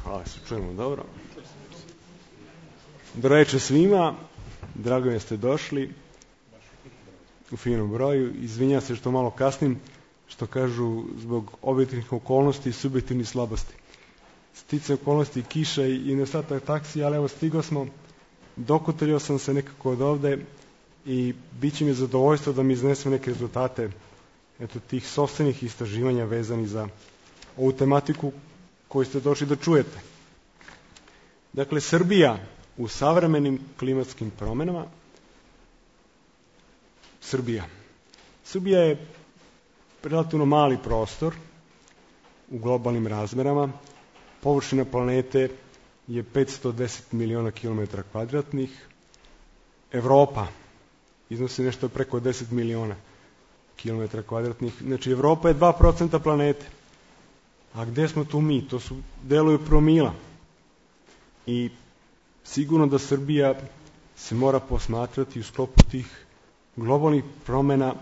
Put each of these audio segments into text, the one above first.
Hvala, se čujemo dobro. Dobro večer svima, drago mi je da ste došli u finom broju. Izvinjam se što malo kasnim, što kažu zbog objektivnih okolnosti i subjektivnih slabosti. Sticajem okolnosti, kiša i nedostatak taksi, ali evo stigao smo, dokutrio sam se nekako od ovde i bit će mi zadovoljstvo da mi iznesem neke rezultate tih sopstvenih istraživanja vezanih za ovu tematiku koju ste došli da čujete. Dakle, Srbija u savremenim klimatskim promenama. Srbija je relativno mali prostor u globalnim razmerama. Površina planete je 510 miliona kilometara kvadratnih. Evropa iznosi nešto preko 10 miliona kilometara kvadratnih. Znači, Evropa je 2% planete. A gde smo tu mi? To su delovi promila. I sigurno da Srbija se mora posmatrati u sklopu tih globalnih promena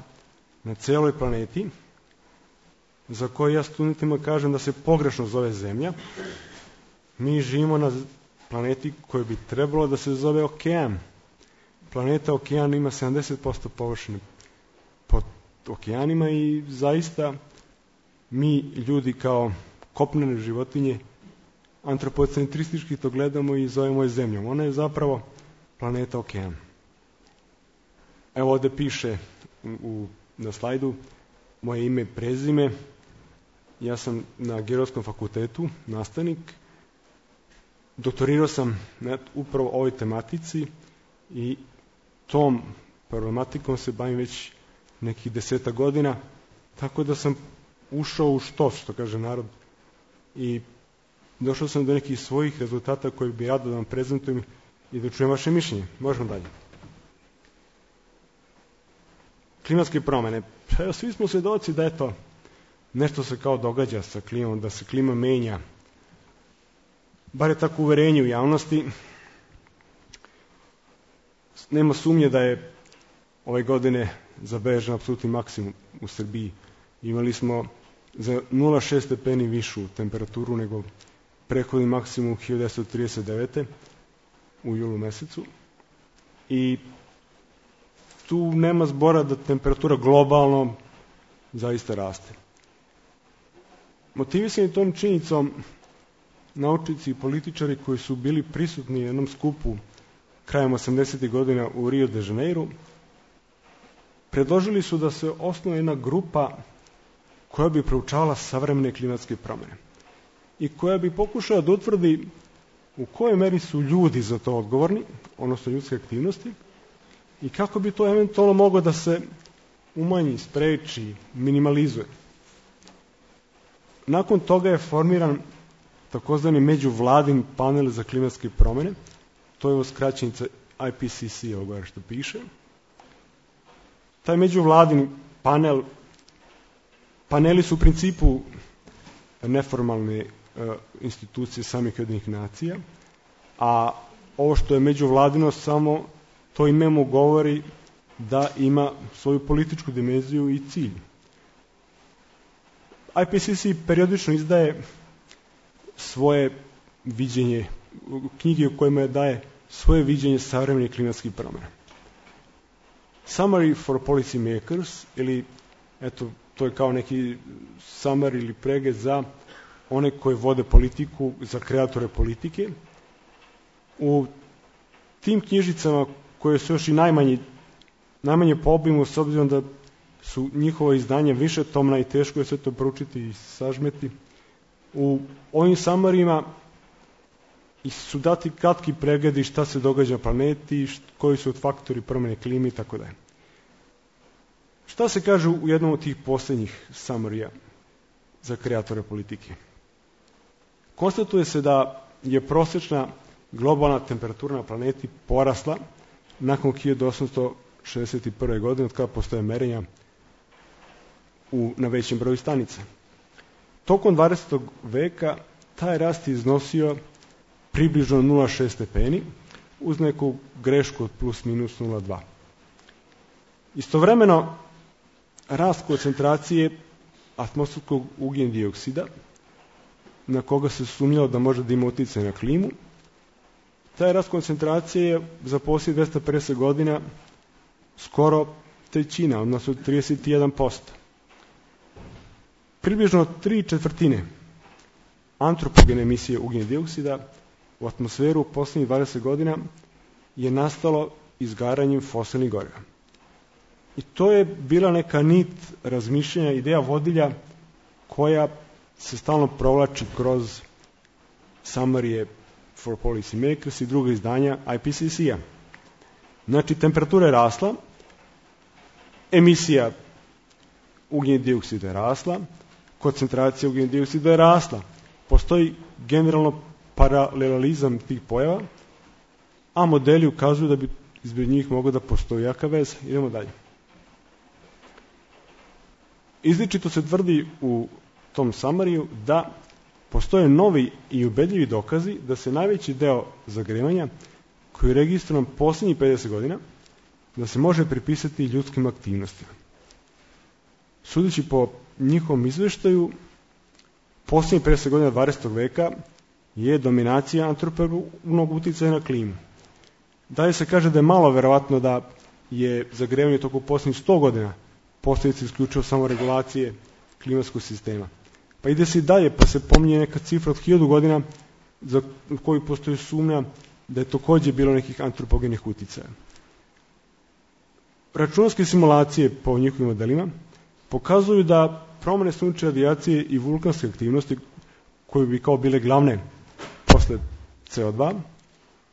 na celoj planeti, za koje ja studentima kažem da se pogrešno zove Zemlja. Mi živimo na planeti koja bi trebalo da se zove okean. Planeta okean ima 70% površine pod okeanima i zaista mi ljudi kao kopnene životinje antropocentristički to gledamo i zovemo je Zemljom. Ona je zapravo planeta okean. Evo ovde piše na slajdu moje ime i prezime. Ja sam na Geografskom fakultetu nastavnik. Doktorirao sam upravo ovoj tematici i tom problematikom se bavim već nekih 10 godina, tako da sam ušao u što kaže narod, i došao sam do nekih svojih rezultata koje bi rado da vam prezentujem i da čujem vaše mišljenje. Možemo dalje. Klimatske promene. Svi smo svedoci da nešto se kao događa sa klimom, da se klima menja. Bar je tako uverenje u javnosti. Nema sumnje da je ove godine zabeležen apsolutni maksimum u Srbiji. Imali smo za 0,6 stepeni višu temperaturu nego prethodni maksimum 1939. u julu mesecu. I tu nema zbora da temperatura globalno zaista raste. Motivisani tom činjenicom, naučnici i političari koji su bili prisutni na jednom skupu krajem 80. godina u Rio de Janeiru, predložili su da se osnuje jedna grupa koja bi proučavala savremene klimatske promene i koja bi pokušala da utvrdi u kojoj meri su ljudi za to odgovorni, odnosno ljudske aktivnosti, i kako bi to eventualno moglo da se umanji, spreči, minimalizuje. Nakon toga je formiran takozvani međuvladin panel za klimatske promene, to je skraćenica IPCC, ovo što piše. Taj međuvladin paneli su u principu neformalne institucije samih Ujedinjenih nacija, a ovo što je međuvladino samo to ime mu govori da ima svoju političku dimenziju i cilj. IPCC periodično izdaje svoje viđenje, knjige u kojima daje svoje viđenje savremenih klimatskih promena. Summary for policy makers, ili to je kao neki summary ili pregled za one koji vode politiku, za kreatore politike. U tim knjižicama koje su još i najmanje po obimu, s obzirom da su njihova izdanja višetomna i teško je sve to proučiti i sažmeti, u ovim samarijima su dati kratki pregledi šta se događa na planeti, koji su faktori promene klime i tako dalje. Šta se kaže u jednom od tih poslednjih samarija za kreatore politike? Konstatuje se da je prosečna globalna temperatura na planeti porasla nakon 1861. godine, od kada postoje merenja na većem broju stanica. Tokom 20. veka taj rast je iznosio približno 0,6 stepeni, uz neku grešku od plus minus 0,2. Istovremeno, rast koncentracije atmosferskog ugljen dioksida na koga se sumnjalo da može da ima utjecaj na klimu, taj rast koncentracije je za posljednjih 250 godina skoro trećina, odnosno 31%. Približno 3/4 antropogene emisije ugljenog dioksida u atmosferu u posljednjih 20 godina je nastalo izgaranjem fosilnih goriva. I to je bila neka nit razmišljanja, ideja vodilja koja se stalno provlači kroz Summary for Policy Makers i druga izdanja IPCC-a. Znači, temperatura je rasla, emisija ugljenog dioksida je rasla, koncentracija ugljenog dioksida je rasla. Postoji generalno paralelizam tih pojava, a modeli ukazuju da bi između njih mogla da postoji jaka veza. Idemo dalje. Izričito se tvrdi u tom Summaryju da postoje novi i ubedljivi dokazi da se najveći deo zagrevanja koji je registrovan posljednjih 50 godina da se može pripisati ljudskim aktivnostima. Sudeći po njihovom izveštaju, posljednjih 50 godina 20. veka je dominacija antropogenog uticaja na klimu. Dalje se kaže da je malo verovatno da je zagrevanje tokom posljednjih 100 godina posljedica isključivo samo regulacije klimatskog sistema. Pa ide se i dalje, pa se pominje neka cifra od 1000 godina za koju postoji sumnja da je također bilo nekih antropogenih uticaja. Računarske simulacije po njihovim modelima pokazuju da promjene sunčeve radijacije i vulkanske aktivnosti, koje bi kao bile glavne posle CO2,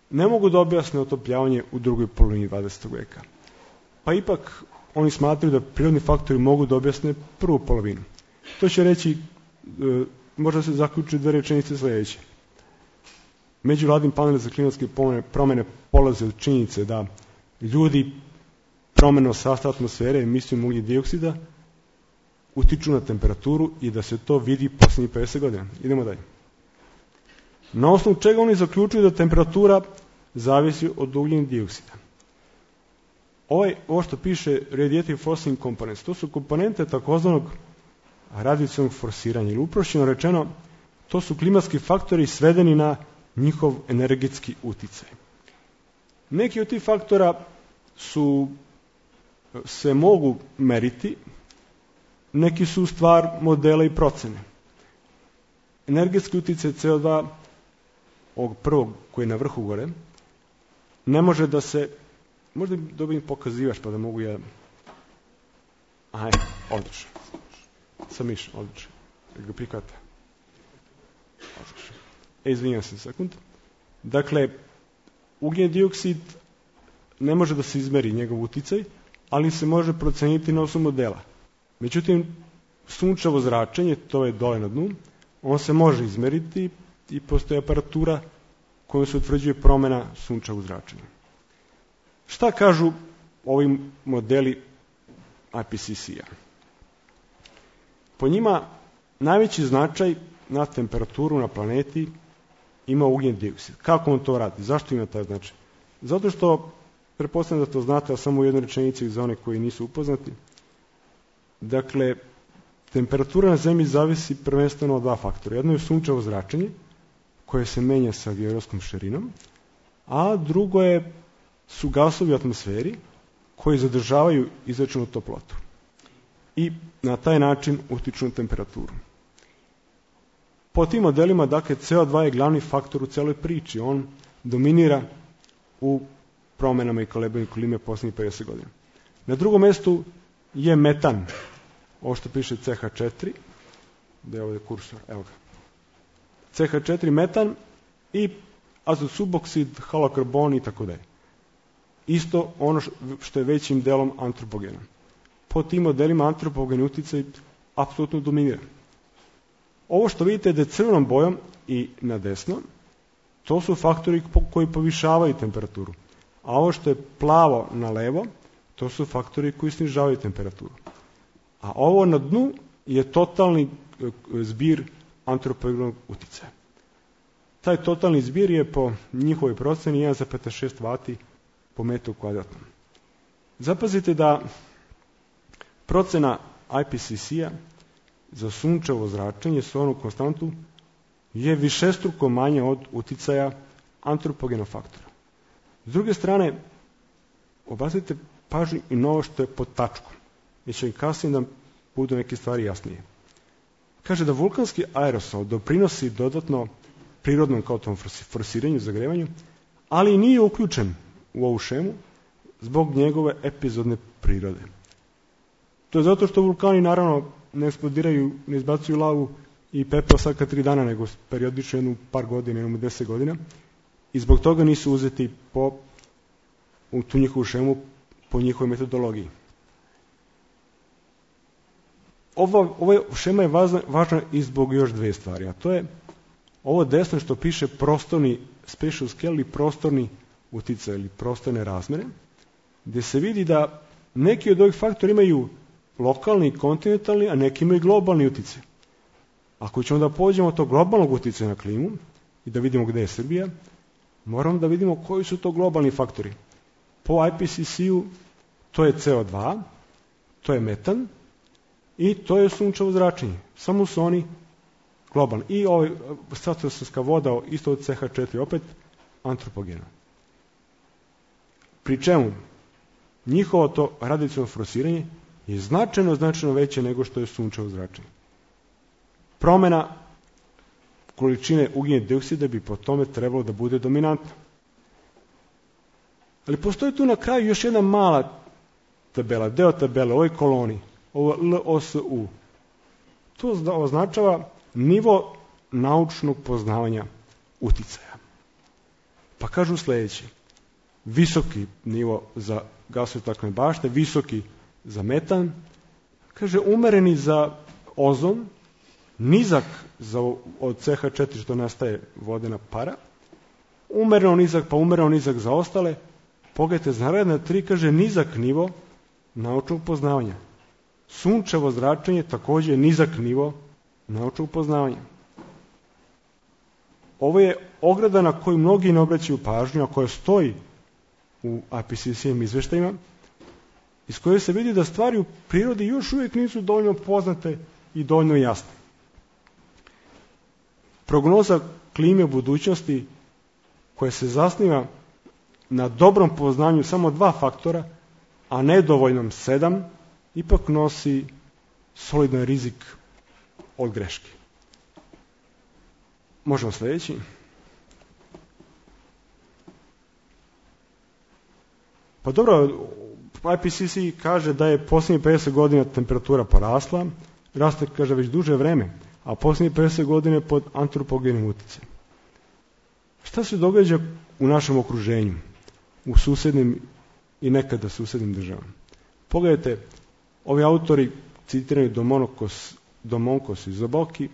ne mogu da objasne otopljavanje u drugoj polovini 20. veka. Pa ipak oni smatraju da prirodni faktori mogu da objasne prvu polovinu. To će reći, možda se zaključi 2 rečenice sljedeće. Međuvladin panel za klimatske promjene polaze od činjenice da ljudi promjenom sastava atmosfere emisijom ugljičnog dioksida utiču na temperaturu i da se to vidi posljednjih 50 godina. Idemo dalje. Na osnovu čega oni zaključuju da temperatura zavisi od ugljičnog dioksida? Ovo što piše radiative forcing components, to su komponente takozvanog radijacionog forsiranja, ili uprošćeno rečeno, to su klimatski faktori svedeni na njihov energetski uticaj. Neki od tih faktora se mogu meriti, neki su stvar modela i procene. Energetski uticaj CO2, ovog prvog koji je na vrhu gore, ne može da se, možda dobijem pokazivaš pa da mogu ja, odlično. Sam miš, odlično. Ga prihvata. Odlično. Izvinjam se sekund. Dakle, ugljen dioksid ne može da se izmeri njegov uticaj, ali se može proceniti na osnovu modela. Međutim, sunčevo zračenje, to je dole na dnu, on se može izmeriti i postoji aparatura kojom se utvrđuje promjena sunčevog zračenja. Šta kažu ovi modeli IPCC-a? Po njima najveći značaj na temperaturu na planeti ima ugljen dioksid. Kako on to radi? Zašto ima taj značaj? Zato što, pretpostavljam da to znate, a samo u jednoj rečenici za one koji nisu upoznati. Dakle, temperatura na Zemlji zavisi prvenstveno od 2 faktora. Jedno je sunčevo zračenje, koje se menja sa geografskom širinom, a drugo su gasovi u atmosferi koji zadržavaju izračenu toplotu i na taj način utiču na temperaturu. Po tim modelima, dakle, CO2 je glavni faktor u celoj priči. On dominira u promjenama i kolebanju klime posljednjih 50 godina. Na drugom mjestu je metan, ovo što piše CH4, da je ovdje kursor, evo ga. CH4 metan i azot suboksid, halokarbon i tako dalje. Isto ono što je većim delom antropogena. Po tim modelima antropogeni uticaj apsolutno dominira. Ovo što vidite da je crvenom bojom i na desno, to su faktori koji povišavaju temperaturu. A ovo što je plavo na levo, to su faktori koji snižavaju temperaturu. A ovo na dnu je totalni zbir antropogenog uticaja. Taj totalni zbir je po njihovoj proceni 1,6 W po metru kvadratnom. Zapazite da procena IPCC-a za sunčevo zračenje s onu konstantu je višestruko manje od uticaja antropogenog faktora. S druge strane, obratite pažnju i na ovo što je pod tačkom, jer će im kasnije da budu neke stvari jasnije. Kaže da vulkanski aerosol doprinosi dodatno prirodnom kao tom forsiranju, zagrevanju, ali nije uključen u ovu šemu zbog njegove epizodne prirode. To je zato što vulkani naravno ne eksplodiraju, ne izbacuju lavu i pepeo svaka 3 dana, nego periodično jednu par godina, jednom 10 godina, i zbog toga nisu uzeti u tu njihovu šemu po njihovoj metodologiji. Ova šema je važna i zbog još 2 stvari, a to je ovo desno što piše prostorni spatial scale ili prostorni uticaj ili prostorne razmere, gdje se vidi da neki od ovih faktora imaju lokalni i kontinentalni, a neki imaju globalni uticaj. Ako ćemo da pođemo od tog globalnog uticaja na klimu i da vidimo gdje je Srbija, moramo da vidimo koji su to globalni faktori. Po IPCC-u to je CO2, to je metan i to je sunčevo zračenje. Samo su oni globalni. I ovaj stratosferska voda isto od CH4 opet antropogena. Pri čemu njihovo to radijaciono forsiranje je značajno veće nego što je sunčevo zračenje. Promjena količine ugljenog dioksida bi po tome trebalo da bude dominantna. Ali postoji tu na kraju još jedna mala tabela, deo tabele, ovoj koloni, ovo LOSU. To označava nivo naučnog poznavanja uticaja. Pa kažu sljedeće: visoki nivo za gasove staklene bašte, visoki za metan, kaže umereni za ozon, nizak od CH4 što nastaje vodena para, umereno nizak za ostale. Pogledajte, za naredna 3 kaže nizak nivo naučnog poznavanja. Sunčevo zračenje također nizak nivo naučnog poznavanja. Ovo je ograda na koju mnogi ne obraćaju pažnju, a koja stoji u IPCC-im izveštajima, iz koje se vidi da stvari u prirodi još uvijek nisu dovoljno poznate i dovoljno jasne. Prognoza klime u budućnosti, koja se zasniva na dobrom poznanju samo 2 faktora, a nedovoljnom 7, ipak nosi solidan rizik od greške. Možemo sljedeći. Pa dobro, IPCC kaže da je posljednjih 50 godina temperatura porasla, raste, kaže, već duže vreme, a posljednjih 50 godina pod antropogenim uticajem. Šta se događa u našem okruženju, u susjednim i nekada susjednim državama? Pogledajte, ovi autori, citirani Domonkos i Zoboki,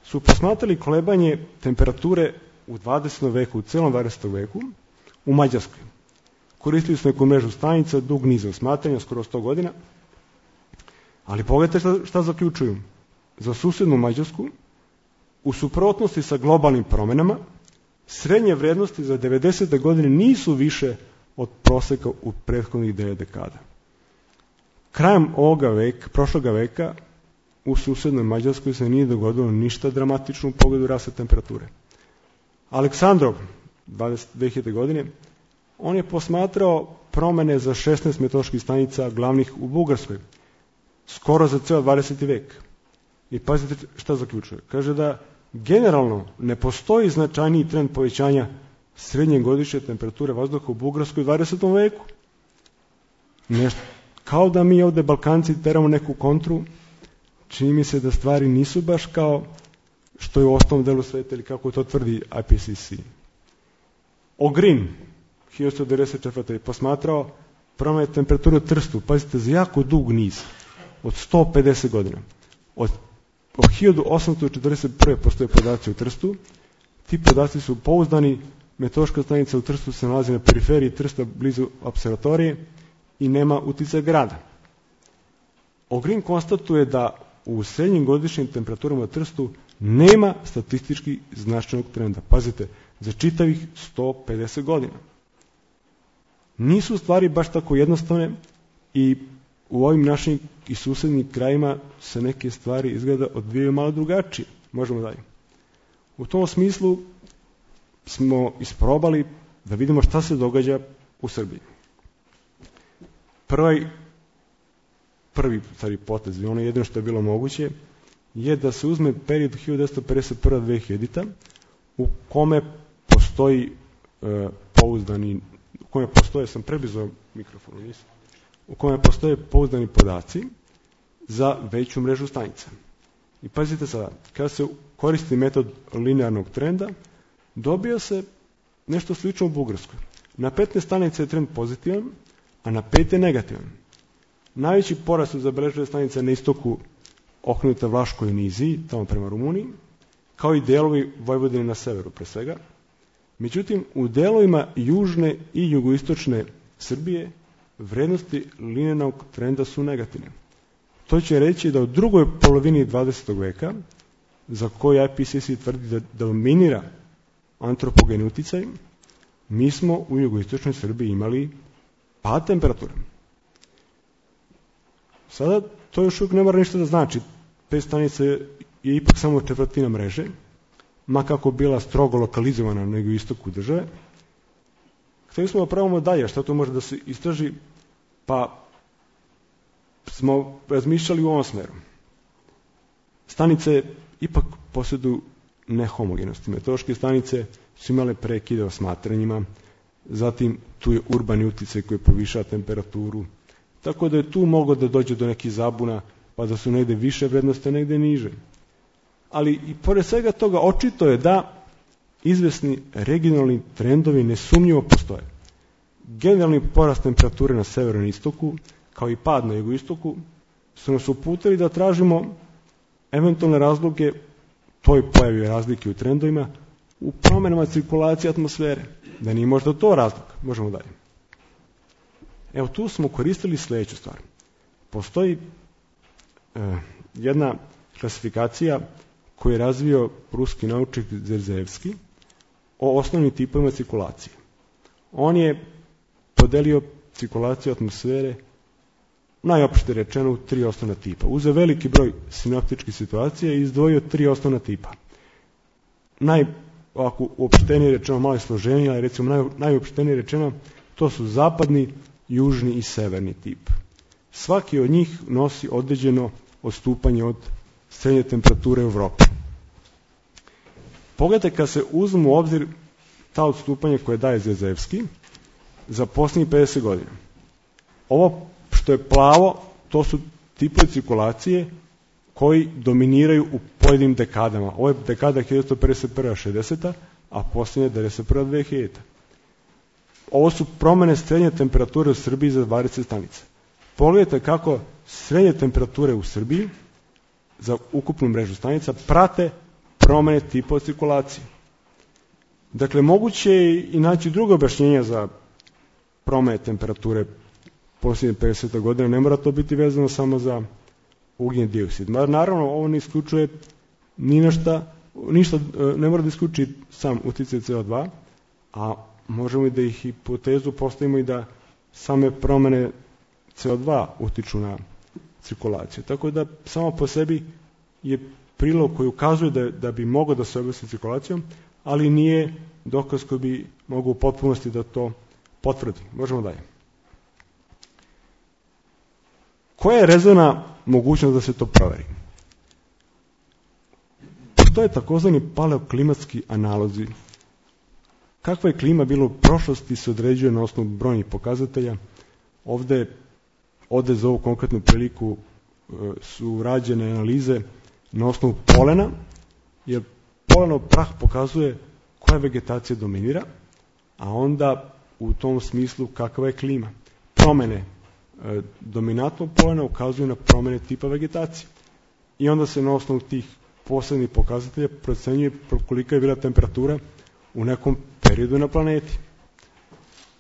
su posmatrali kolebanje temperature u 20. veku, u celom 20. veku, u Mađarskoj. Koristili su neku mrežu stanica, dug niz osmatranja, skoro 100 godina, ali pogledajte šta zaključuju. Za susjednu Mađarsku, u suprotnosti sa globalnim promjenama, srednje vrijednosti za 90. godine nisu više od prosjeka u prethodnih 9 dekada. Krajem prošloga veka, u susjednoj Mađarskoj se nije dogodilo ništa dramatično u pogledu rasta temperature. Aleksandrov, 2000. godine, on je posmatrao promjene za 16 meteoroloških stanica glavnih u Bugarskoj, skoro za ceo 20. vek. I pazite šta zaključuje. Kaže da generalno ne postoji značajniji trend povećanja srednje godišnje temperature vazduha u Bugarskoj u 20. veku. Nešto, kao da mi ovdje Balkanci teramo neku kontru, čini mi se da stvari nisu baš kao što je u ostalom delu sveta ili kako to tvrdi IPCC. Ogrin, 1994. posmatrao promjene temperature u Trstu, pazite, za jako dug niz, od 150 godina. Od 1841. postoje podaci u Trstu, ti podaci su pouzdani, meteorološka stanica u Trstu se nalazi na periferiji Trsta blizu observatorije i nema uticaja grada. Ogrin konstatuje da u srednjim godišnjim temperaturama u Trstu nema statistički značajnog trenda. Pazite, za čitavih 150 godina. Nisu stvari baš tako jednostavne i u ovim našim i susjednim krajima se neke stvari izgleda odvijaju malo drugačije. Možemo dalje. U tom smislu smo isprobali da vidimo šta se događa u Srbiji. Prvi potez, ono jedino što je bilo moguće, je da se uzme period 1951-2000 u kome postoji u kome postoje pouzdani podaci za veću mrežu stanica. I pazite sada, kada se koristi metod linearnog trenda, dobija se nešto slično u Bugarskoj. Na 15 stanica je trend pozitivan, a na 5 je negativan. Najveći porast su zabeležile stanice na istoku okrenuta Vlaškoj niziji, tamo prema Rumuniji, kao i delovi Vojvodine na severu pre svega. Međutim, u delovima južne i jugoistočne Srbije vrednosti linearnog trenda su negativne. To će reći da u drugoj polovini 20. veka, za koju IPCC tvrdi da dominira antropogeni uticaj, mi smo u jugoistočnoj Srbiji imali pad temperature. Sada to još uvijek ne mora ništa da znači. 5 stanica je ipak samo četvrtina mreže, ma kako bila strogo lokalizovana na jugoistoku države. Hteli smo da pravimo dalje, šta to može da se istraži, pa smo razmišljali u ovom smeru. Stanice ipak posjeduju nehomogenosti. Meteorološke stanice su imale prekide o smatranjima, zatim tu je urbani uticaj koji povišava temperaturu, tako da je tu moglo da dođe do nekih zabuna, pa da su negde više vrednosti, a negde niže. Ali i pored svega toga očito je da izvesni regionalni trendovi nesumnjivo postoje. Generalni porast temperature na severu i istoku, kao i pad na jugoistoku, su nas uputili da tražimo eventualne razloge toj pojavi razlike u trendovima u promenama cirkulacije atmosfere. Da nije možda to razlog. Možemo dalje. Evo, tu smo koristili sledeću stvar. Postoji jedna klasifikacija koju je razvio ruski naučnik Zerzevski o osnovnim tipovima cirkulacije. On je podelio cirkulaciju atmosfere, najopšte rečeno, u 3 osnovna tipa. Uzeo veliki broj sinoptičkih situacija i izdvojio 3 osnovna tipa. Ovako uopštenije rečeno, malo je složenije, ali recimo najuopštenije rečeno, to su zapadni, južni i severni tip. Svaki od njih nosi određeno odstupanje od srednje temperature u Evropi. Pogledajte, kad se uzmu u obzir ta odstupanja koje daje Zerzevski za posljednjih 50 godina. Ovo što je plavo, to su tipovi cirkulacije koji dominiraju u pojedinim dekadama. Ovo je dekada 1951-60, a posljednja 1991-2000. Ovo su promene srednje temperature u Srbiji za 20 stanica. Pogledajte kako srednje temperature u Srbiji za ukupnu mrežu stanica prate promene tipova cirkulacije. Dakle, moguće je i naći drugo objašnjenje za promene temperature posljednje 50 godina. Ne mora to biti vezano samo za ugljen dioksid. Naravno, ovo ne isključuje ništa, ne mora da isključi sam uticaj CO2, a možemo i da ih hipotezu postavimo i da same promene CO2 utiču na cirkulaciju. Tako da samo po sebi je prilog koji ukazuje da bi mogao da se objasni cirkulacijom, ali nije dokaz koji bi mogao u potpunosti da to potvrdi. Možemo dalje. Koja je rezervna mogućnost da se to proveri? To je takozvani paleoklimatski analozi. Kakva je klima bila u prošlosti se određuje na osnovu brojnih pokazatelja. Ovde za ovu konkretnu priliku su rađene analize na osnovu polena, jer polenov prah pokazuje koja vegetacija dominira, a onda u tom smislu kakva je klima. Promene dominantnog polena ukazuju na promene tipa vegetacije. I onda se na osnovu tih posebnih pokazatelja procenjuje kolika je bila temperatura u nekom periodu na planeti.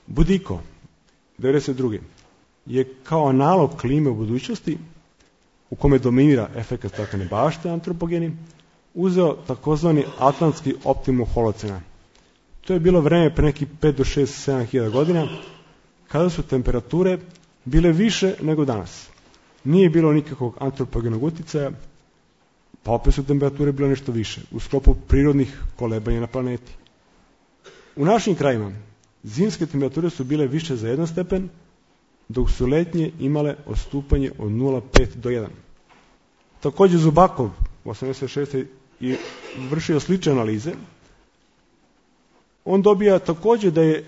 Budiko, 92. je kao analog klime u budućnosti, u kome dominira efekat staklene bašte antropogeni, uzeo takozvani atlantski optimum holocena. To je bilo vreme pre nekih 5 do 6, 7 hiljada godina, kada su temperature bile više nego danas. Nije bilo nikakvog antropogenog uticaja, pa opet su temperature bile nešto više, u sklopu prirodnih kolebanja na planeti. U našim krajima zimske temperature su bile više za 1 stepen, dok su letnje imale odstupanje od 0,5 do 1. Također Zubakov u 86. i vršio slične analize. On dobija također da je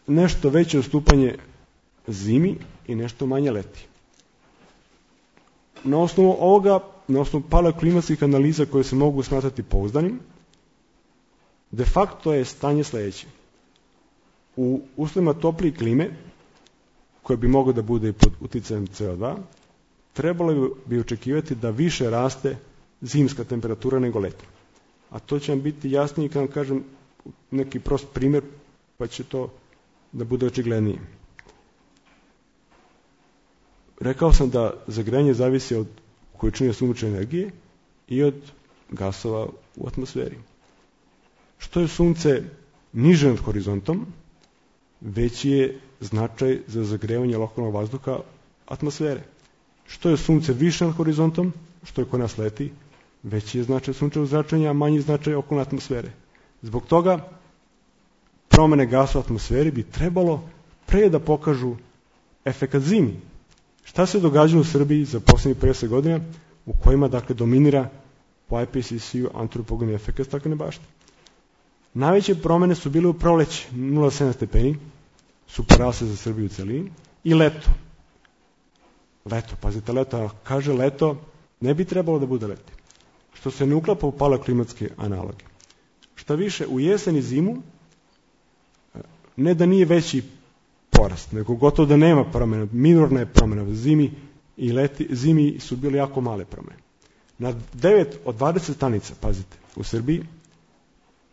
nešto veće odstupanje zimi i nešto manje leti. Na osnovu ovoga, na osnovu paleoklimatskih analiza koje se mogu smatrati pouzdanim, de facto je stanje sljedeće. U uslovima toplije klime, koje bi moglo da bude i pod uticajem CO2, trebalo bi očekivati da više raste zimska temperatura nego letnja. A to će vam biti jasnije kad vam kažem neki prost primjer, pa će to da bude očiglednije. Rekao sam da zagrejanje zavisi od količine sunčeve energije i od gasova u atmosferi. Što je sunce niže nad horizontom, veći je značaj za zagrevanje lokalnog vazduha atmosfere. Što je sunce više nad horizontom, što je kod nas leti, veći je značaj sunčevog zračenja, a manji značaj okolne atmosfere. Zbog toga promjene gasa u atmosferi bi trebalo pre da pokažu efekat zimi. Šta se događalo u Srbiji za posljednjih 50 godina u kojima dakle dominira po IPCC-u antropogeni efekat staklene bašte? Najveće promjene su bile u proleće, 0,7 stepeni, su porasle za Srbiju u celini, i leto. Leto, pazite, leto, kaže leto, ne bi trebalo da bude leti. Što se ne uklapa u paleoklimatske analoge. Šta više, u jesen i zimu, ne da nije veći porast, nego gotovo da nema promjena, minorna je promjena. Zimi su bile jako male promjene. Na 9 od 20 stanica, pazite, u Srbiji,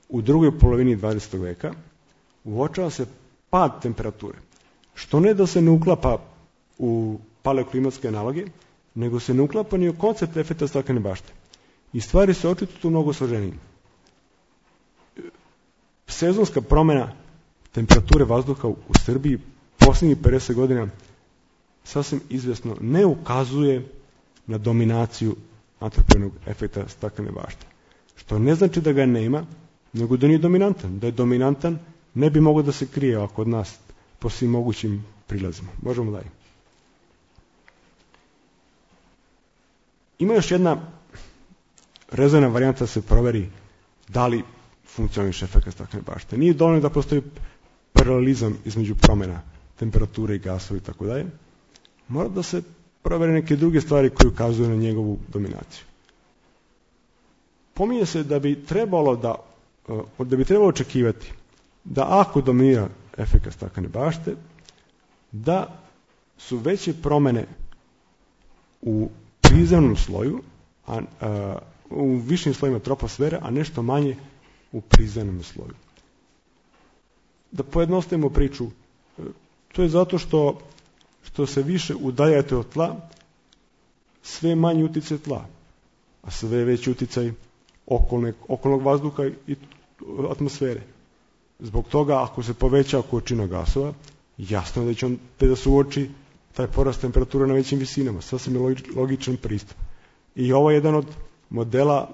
u drugoj polovini 20. veka, uočava se pad temperature. Što ne da se ne uklapa u paleoklimatske analoge, nego se ne uklapa ni u koncept efekta staklene bašte. I stvari se očito tu mnogo složenije. Sezonska promjena temperature vazduha u Srbiji posljednjih 50 godina sasvim izvjesno ne ukazuje na dominaciju antropogenog efekta staklene bašte. Što ne znači da ga nema, nego da nije dominantan. Da je dominantan, ne bi mogao da se krije ovako od nas po svim mogućim prilazima. Možemo dalje. Ima još jedna rezervna varijanta da se proveri da li funkcioniše efekat staklene bašte. Nije dovoljno da postoji paralelizam između promjena temperature i gasova i tako dalje. Mora da se provere neke druge stvari koje ukazuju na njegovu dominaciju. Pominje se da bi trebalo očekivati da ako dominira efekat staklene bašte, da su veće promjene u prizemnom sloju, u višim slojima troposfere, a nešto manje u prizemnom sloju. Da pojednostavimo priču, to je zato što se više udaljate od tla, sve manji uticaj tla, a sve veći uticaj okolnog vazduha i atmosfere. Zbog toga, ako se poveća količina gasova, jasno je da će da se uoči taj porast temperature na većim visinama. Sasvim je logičan pristup. I ovo je jedan od modela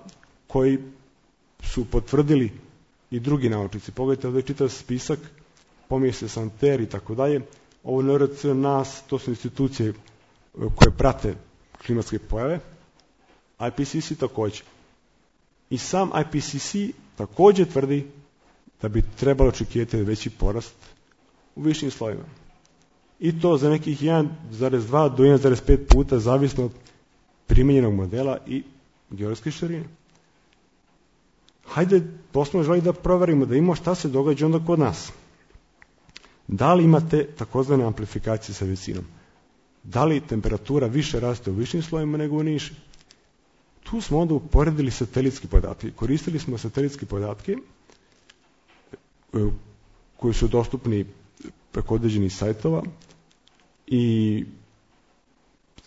koji su potvrdili i drugi naučnici. Pogledajte, ovdje je čitav spisak, pominje se Santer i tako dalje. Ovo NRC, NAS, to su institucije koje prate klimatske pojave. IPCC također. I sam IPCC također tvrdi da bi trebalo očekivati veći porast u višim slojima. I to za nekih 1,2 do 1,5 puta, zavisno od primijenjenog modela i geografske širine. Hajde, poslovno želi da proverimo, da imamo šta se događa onda kod nas. Da li imate takozvane amplifikacije sa visinom? Da li temperatura više raste u višim slojima nego u nižim? Tu smo onda uporedili satelitski podatke. Koristili smo satelitske podatke koji su dostupni preko određenih sajtova i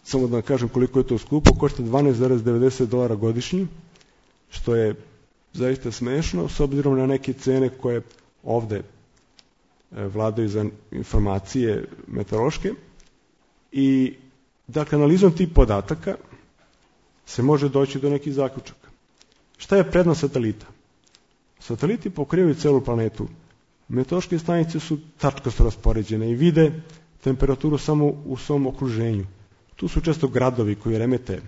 samo da kažem koliko je to skupo, košta $12,90 godišnji, što je zaista smešno s obzirom na neke cene koje ovdje vladaju za informacije meteorološke. I dakle, analizom tih podataka se može doći do nekih zaključaka. Šta je prednost satelita? Sateliti pokrivaju celu planetu. Meteorološke stanice su tačkasto raspoređene i vide temperaturu samo u svom okruženju. Tu su često gradovi koji remete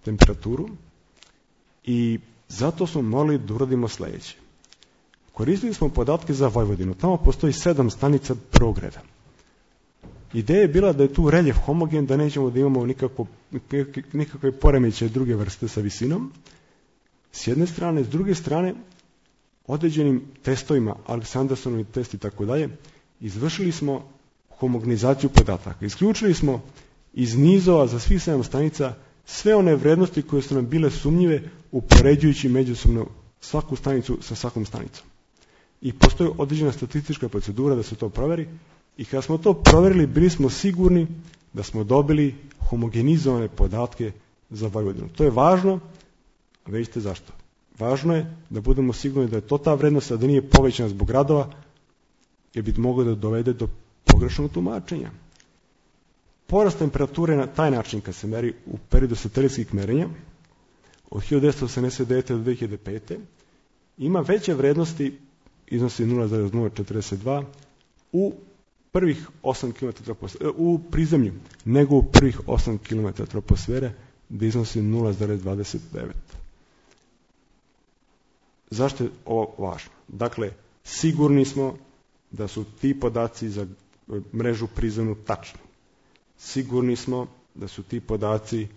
temperaturu i zato smo morali da uradimo sledeće. Koristili smo podatke za Vojvodinu. Tamo postoji 7 stanica prvog reda. Ideja je bila da je tu reljef homogen, da nećemo da imamo nikakve poremećaje druge vrste sa visinom. S jedne strane, s druge strane, određenim testovima, Aleksandersonovi test i tako dalje, izvršili smo homogenizaciju podataka. Isključili smo iz nizova za svih 7 stanica sve one vrednosti koje su nam bile sumnjive upoređujući međusobno svaku stanicu sa svakom stanicom. I postoji određena statistička procedura da se to proveri i kada smo to proverili, bili smo sigurni da smo dobili homogenizovane podatke za Vojvodinu. To je važno, a vidite zašto. Važno je da budemo sigurni da je to ta vrednost, a da nije povećana zbog gradova, jer bi moglo da dovede do pogrešnog tumačenja. Porast temperature na taj način, kad se meri u periodu satelitskih merenja, od 1989. do 2005. ima veće vrednosti, iznosi 0,042, u prvih 8 km u prizemlju, nego u prvih 8 km troposfere, gde iznosi 0,29. Zašto je ovo važno? Dakle, sigurni smo da su ti podaci za mrežu prizemnu tačni. Sigurni smo da su ti podaci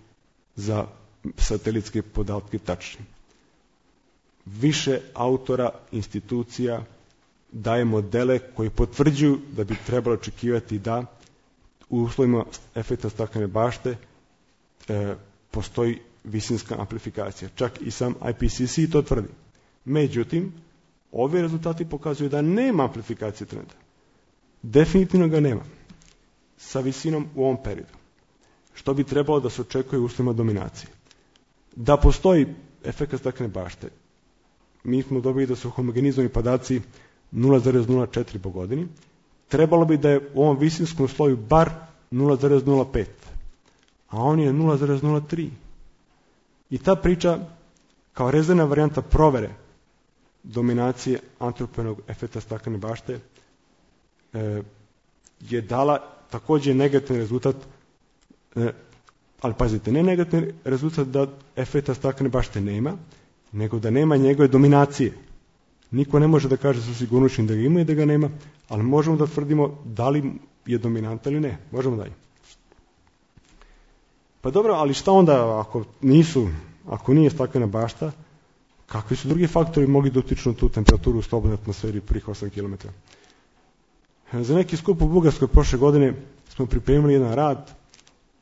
za satelitske podatke tačni. Više autora, institucija daje modele koji potvrđuju da bi trebalo očekivati da u uslovima efekta staklene bašte postoji visinska amplifikacija. Čak i sam IPCC to tvrdi. Međutim, ovi rezultati pokazuju da nema amplifikacije trenda. Definitivno ga nema. Sa visinom u ovom periodu. Što bi trebalo da se očekuje u uslovima dominacije? Da postoji efekt staklene bašte. Mi smo dobili da su homogenizovani podaci 0,04 po godini. Trebalo bi da je u ovom visinskom sloju bar 0,05. A on je 0,03. I ta priča, kao rezervna varijanta provere dominacije antropogenog efekta staklene bašte, je dala takođe negativan rezultat, ali pazite, ne negativan rezultat da efekta staklene bašte nema, nego da nema njegove dominacije. Niko ne može da kaže sa sigurnošću da ga ima i da ga nema, ali možemo da tvrdimo da li je dominantan ili ne. Možemo da je. Pa dobro, ali šta onda ako nije staklena bašta, kakvi su drugi faktori mogli da utiču na tu temperaturu u slobodnoj atmosferi prvih 8 km? Za neki skup u Bugarskoj prošle godine smo pripremili jedan rad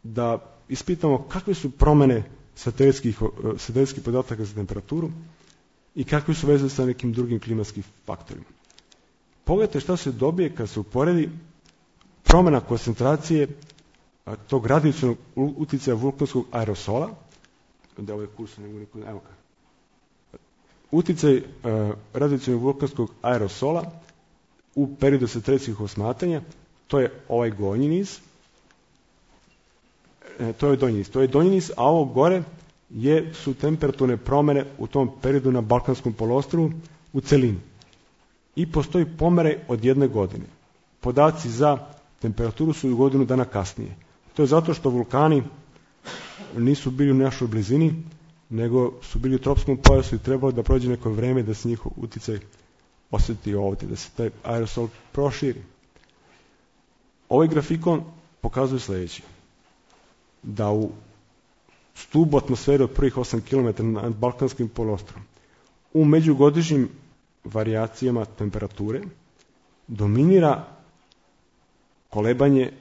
da ispitamo kakve su promene satelitskih podataka za temperaturu i kakve su veze sa nekim drugim klimatskim faktorima. Pogledajte šta se dobije kad se uporedi promena koncentracije tog radijacionog uticaja vulkanskog aerosola, da ovaj kursor ne bude, evo ga. Uticaj radijacionog vulkanskog aerosola u periodu satelitskih osmatanja, to je ovaj gornji niz, to je donji niz, a ovo gore su temperaturne promene u tom periodu na Balkanskom poluostrvu u celini. I postoji pomere od 1 godine. Podaci za temperaturu su u godinu dana kasnije. To je zato što vulkani nisu bili u našoj blizini, nego su bili u tropskom pojasu i trebalo da prođe neko vreme da se njihov uticaj osjeti ovdje, da se taj aerosol proširi. Ovaj grafikon pokazuje sledeće. Da u stubu atmosfere od prvih 8 km nad Balkanskim poluostrom u međugodišnjim varijacijama temperature dominira kolebanje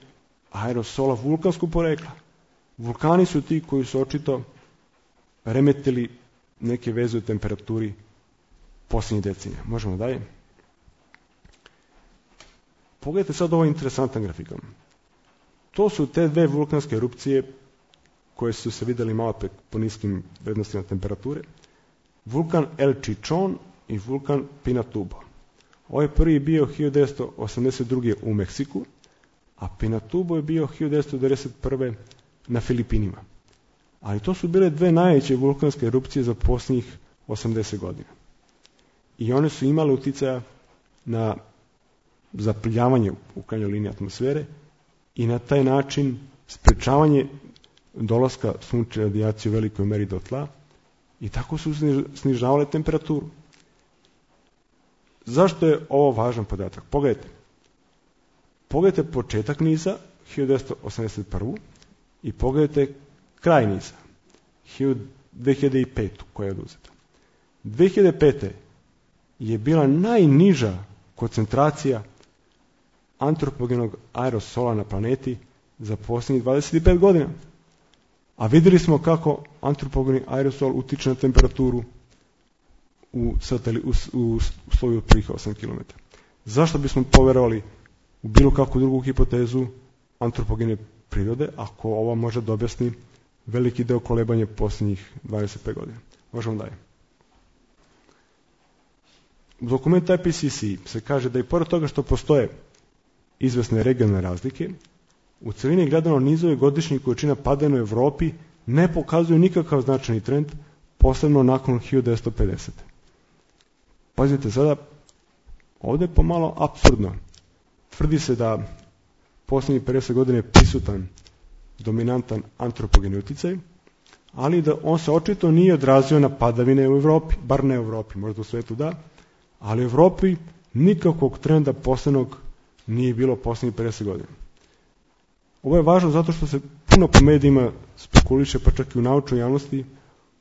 aerosola vulkanskog porekla. Vulkani su ti koji su očito remetili neke veze u temperaturi posljednjih decenija. Možemo dalje. Pogledajte sad ovo interesantan grafikon. To su te dve vulkanske erupcije koje su se videli malo po niskim vrednostima temperature. Vulkan El Chichon i vulkan Pinatubo. Ovaj prvi je bio 1982. u Meksiku, a Pinatubo je bio 1991. na Filipinima. Ali to su bile dve najveće vulkanske erupcije za posljednjih 80 godina. I one su imale uticaja na zapljavanje u krajnjoj liniji atmosfere i na taj način sprečavanje dolaska sunčeve radijacije u velikoj meri do tla i tako su snižavale temperaturu. Zašto je ovo važan podatak? Pogledajte početak niza, 1981. i pogledajte kraj niza, 2005. koja je oduzeta. 2005. je bila najniža koncentracija antropogenog aerosola na planeti za posljednjih 25 godina. A vidjeli smo kako antropogeni aerosol utiče na temperaturu u sloju od prije 8 km. Zašto bismo povjerovali u bilo kakvu drugu hipotezu antropogene prirode, ako ova može da objasni veliki deo kolebanja posljednjih 25 godina? Možemo dalje. U dokumentu IPCC se kaže da i pored toga što postoje izvesne regionalne razlike, u celini gledano nizove godišnjih količina padanja u Evropi ne pokazuju nikakav značajni trend, posebno nakon 1950. Pazite sada, ovdje je pomalo apsurdno. Tvrdi se da posljednjih 50 godina je prisutan dominantan antropogeni uticaj, ali da on se očito nije odrazio na padavine u Evropi, bar ne u Evropi, možda u svetu da, ali u Evropi nikakvog trenda posebnog nije bilo posljednjih 50 godina. Ovo je važno zato što se puno po medijima spekuliše, pa čak i u naučnoj javnosti,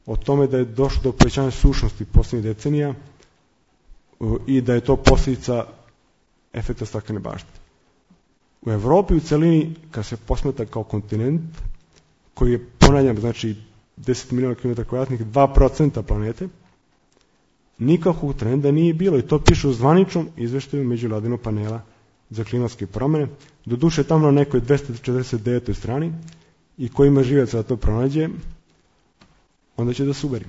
o tome da je došlo do povećanja sušnosti posljednjih decenija i da je to posljedica efekta staklene bašte. U Evropi u celini, kad se posmatra kao kontinent, koji je, ponavljam, znači 10 miliona km2, 2% planete, nikakvog trenda nije bilo i to piše u zvaničnom izveštaju međuvladinog panela za klimatske promjene, doduše tamo na nekoj 249. strani i ko ima živaca da to pronađe, onda će da se uveri.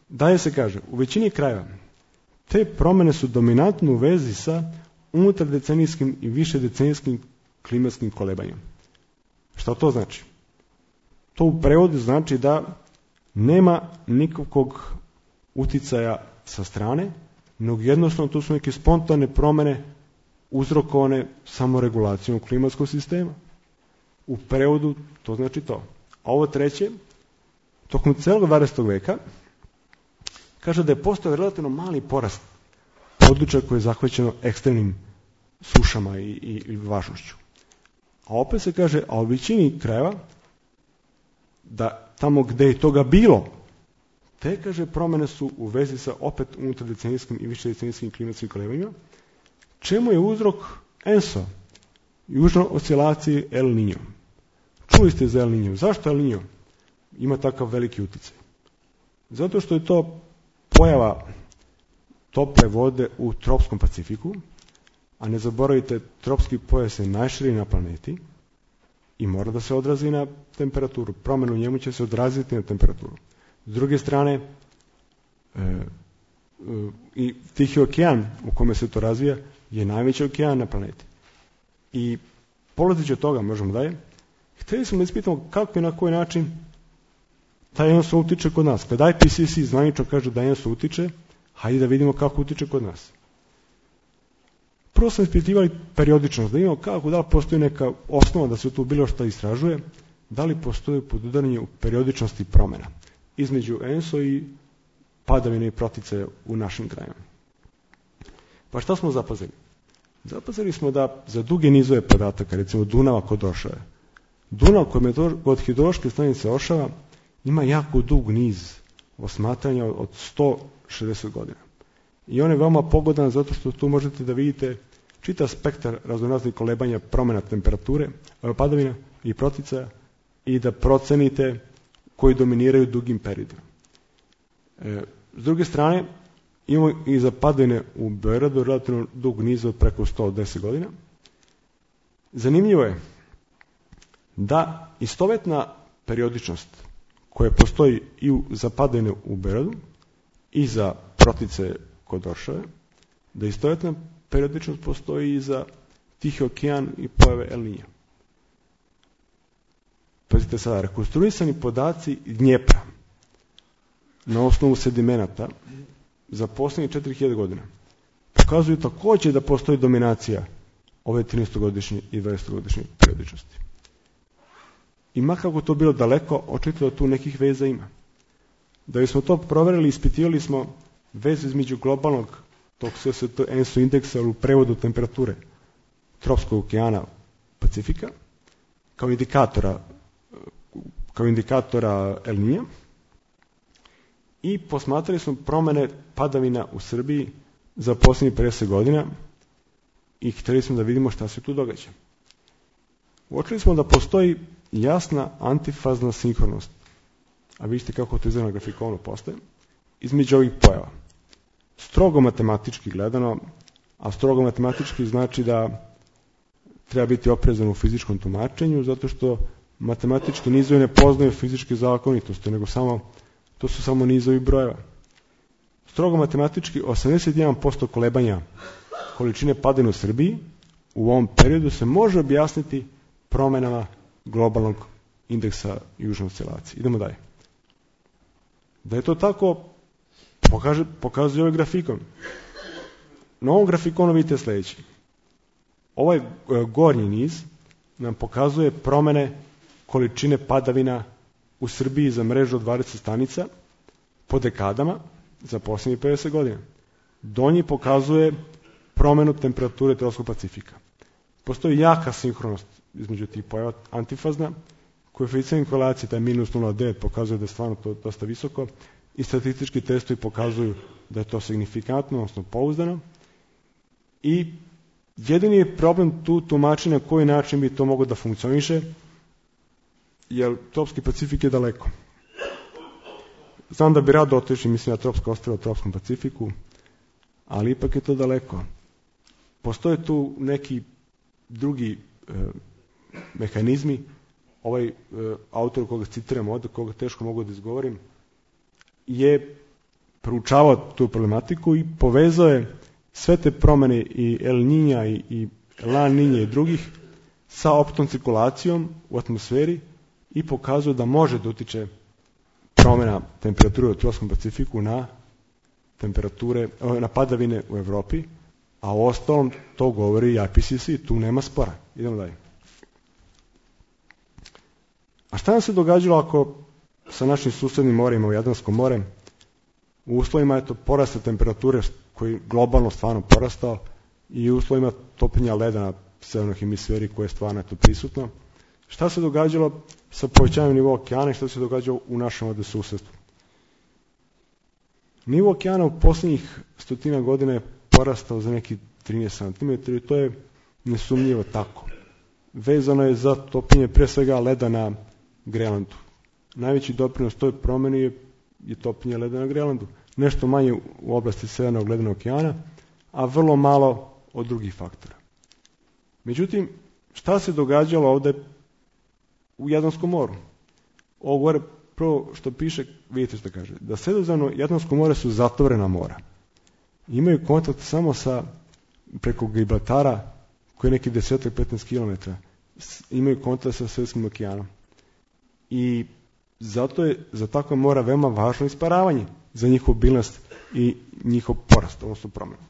Dalje se kaže, u većini krajeva te promjene su dominantno u vezi sa unutardecenijskim i višedecenijskim klimatskim kolebanjem. Šta to znači? To u prevodu znači da nema nikakvog uticaja sa strane, nego jednostavno to su neke spontane promjene uzrokovane samoregulacijom klimatskog sistema. U prevodu to znači to. A ovo treće, tokom celog 20. veka, kaže da je postao relativno mali porast područja koje je zahvaćeno ekstremnim sušama i vlažnošću. A opet se kaže, a u većini krajeva, da tamo gde je toga bilo, te, kaže, promjene su u vezi sa opet unutardecenijskim i višedecenijskim klimatskim kolebanjima, čemu je uzrok ENSO, južno oscilacije El Niño. Čuli ste za El Niño. Zašto El Niño ima takav veliki utjecaj? Zato što je to pojava tople vode u tropskom Pacifiku, a ne zaboravite, tropski pojas je najširi na planeti i mora da se odrazi na temperaturu. Promjena u njemu će se odraziti na temperaturu. S druge strane, i Tihi okean u kome se to razvija je najveći okean na planeti. I polazeći od toga, možemo dalje, htjeli smo da ispitamo kako i na koji način taj ENSO utiče kod nas. Kad IPCC zvanično kaže da ENSO utiče, hajde da vidimo kako utiče kod nas. Prvo smo ispitivali periodičnost, da vidimo kako, da li postoji neka osnova da se tu bilo što istražuje, da li postoji podudaranje u periodičnosti promjena između ENSO i padavine i proticaje u našim krajima. Pa šta smo zapazili? Zapazili smo da za duge nizove podataka, recimo Dunava kod Ošave, Dunav kod hidrološke stanice Ošava ima jako dug niz osmatranja od 160 godina. I on je veoma pogodan zato što tu možete da vidite čitav spektar raznoraznih kolebanja promjena temperature, padavina i proticaja i da procenite koji dominiraju dugim periodima. S druge strane, imamo i za padavine u Beogradu relativno dug niz od preko 110 godina. Zanimljivo je da istovetna periodičnost koja postoji i za padavine u Beogradu i za proticaje kod Ošave, da istovetna periodičnost postoji i za Tihi okean i pojave El Niño. Pazite sada, rekonstruisani podaci Dnjepra na osnovu sedimenata za posljednjih 4000 godina pokazuju također da postoji dominacija ove 13-godišnje i 20-godišnje periodičnosti. I makako to bilo daleko, očito da tu nekih veza ima. Da bismo to provjerili, ispitivali smo vezu između globalnog tog ENSO indeksa u prevodu temperature tropskog okeana Pacifika kao indikatora El Niña i posmatrali smo promjene padavina u Srbiji za posljednjih 50 godina i htjeli smo da vidimo šta se tu događa. Uočili smo da postoji jasna antifazna sinhronost, a vidite kako to izgleda na grafikonu postoje, između ovih pojava. Strogo matematički gledano, a strogo matematički znači da treba biti oprezan u fizičkom tumačenju, zato što matematički nizovi ne poznaju fizičke zakonitosti, nego to su samo nizovi brojeva. Strogo matematički 81% kolebanja količine padavina u Srbiji u ovom periodu se može objasniti promjenama globalnog indeksa južne oscilacije. Idemo dalje. Da je to tako, pokazuje ovaj grafikon. Na ovom grafikonu vidite sljedeće. Ovaj gornji niz nam pokazuje promjene količine padavina u Srbiji za mrežu od 20 stanica po dekadama za posljednjih 50 godina. Donji pokazuje promjenu temperature tropskog Pacifika. Postoji jaka sinhronost između tih pojava, antifazna, koeficijent korelacije, taj minus 0,9 pokazuje da je stvarno to dosta visoko i statistički testovi pokazuju da je to signifikantno, odnosno pouzdano. I jedini je problem tu tumačenja na koji način bi to moglo da funkcioniše, jer tropski Pacifik je daleko. Znam da bi rado otišli, mislim na tropsko ostrvo u tropskom Pacifiku, ali ipak je to daleko. Postoje tu neki drugi mehanizmi. Ovaj autor koga citiram ovdje, koga teško mogu da izgovorim, je proučavao tu problematiku i povezao je sve te promjene i El Niña i La Niña i drugih sa optom cirkulacijom u atmosferi i pokazuje da može da utiče promjena temperature u tropskom Pacifiku na padavine u Europi, a u ostalom to govori IPCC, tu nema spora. Idemo dalje. A šta nam se događalo ako sa našim susednim morima u Jadranskom more u uslovima porasta temperature koji globalno stvarno porastao i u uslovima topljenja leda na severnoj hemisferi koje je stvarno prisutno, šta se događalo sa povećanjem nivoa okeana i šta se događalo u našem ovdje susjedstvu? Nivo okeana u posljednjih 100 godina je porastao za neki 13 cm i to je nesumnjivo tako. Vezano je za topljenje pre svega leda na Grenlandu. Najveći doprinos toj promjeni je topljenje leda na Grenlandu. Nešto manje u oblasti Severnog ledenog okeana, a vrlo malo od drugih faktora. Međutim, šta se događalo ovdje u Jadranskom moru? Ovo gore prvo što piše, vidite što kaže, da Sredozemno i Jadransko more su zatvorena mora. Imaju kontakt samo preko Gibraltara, koji je neki 10-15 km, imaju kontakt sa Svjetskim okeanom. I zato je za takva mora veoma važno isparavanje za njihovu biljnost i njihov porast, odnosno promjenu.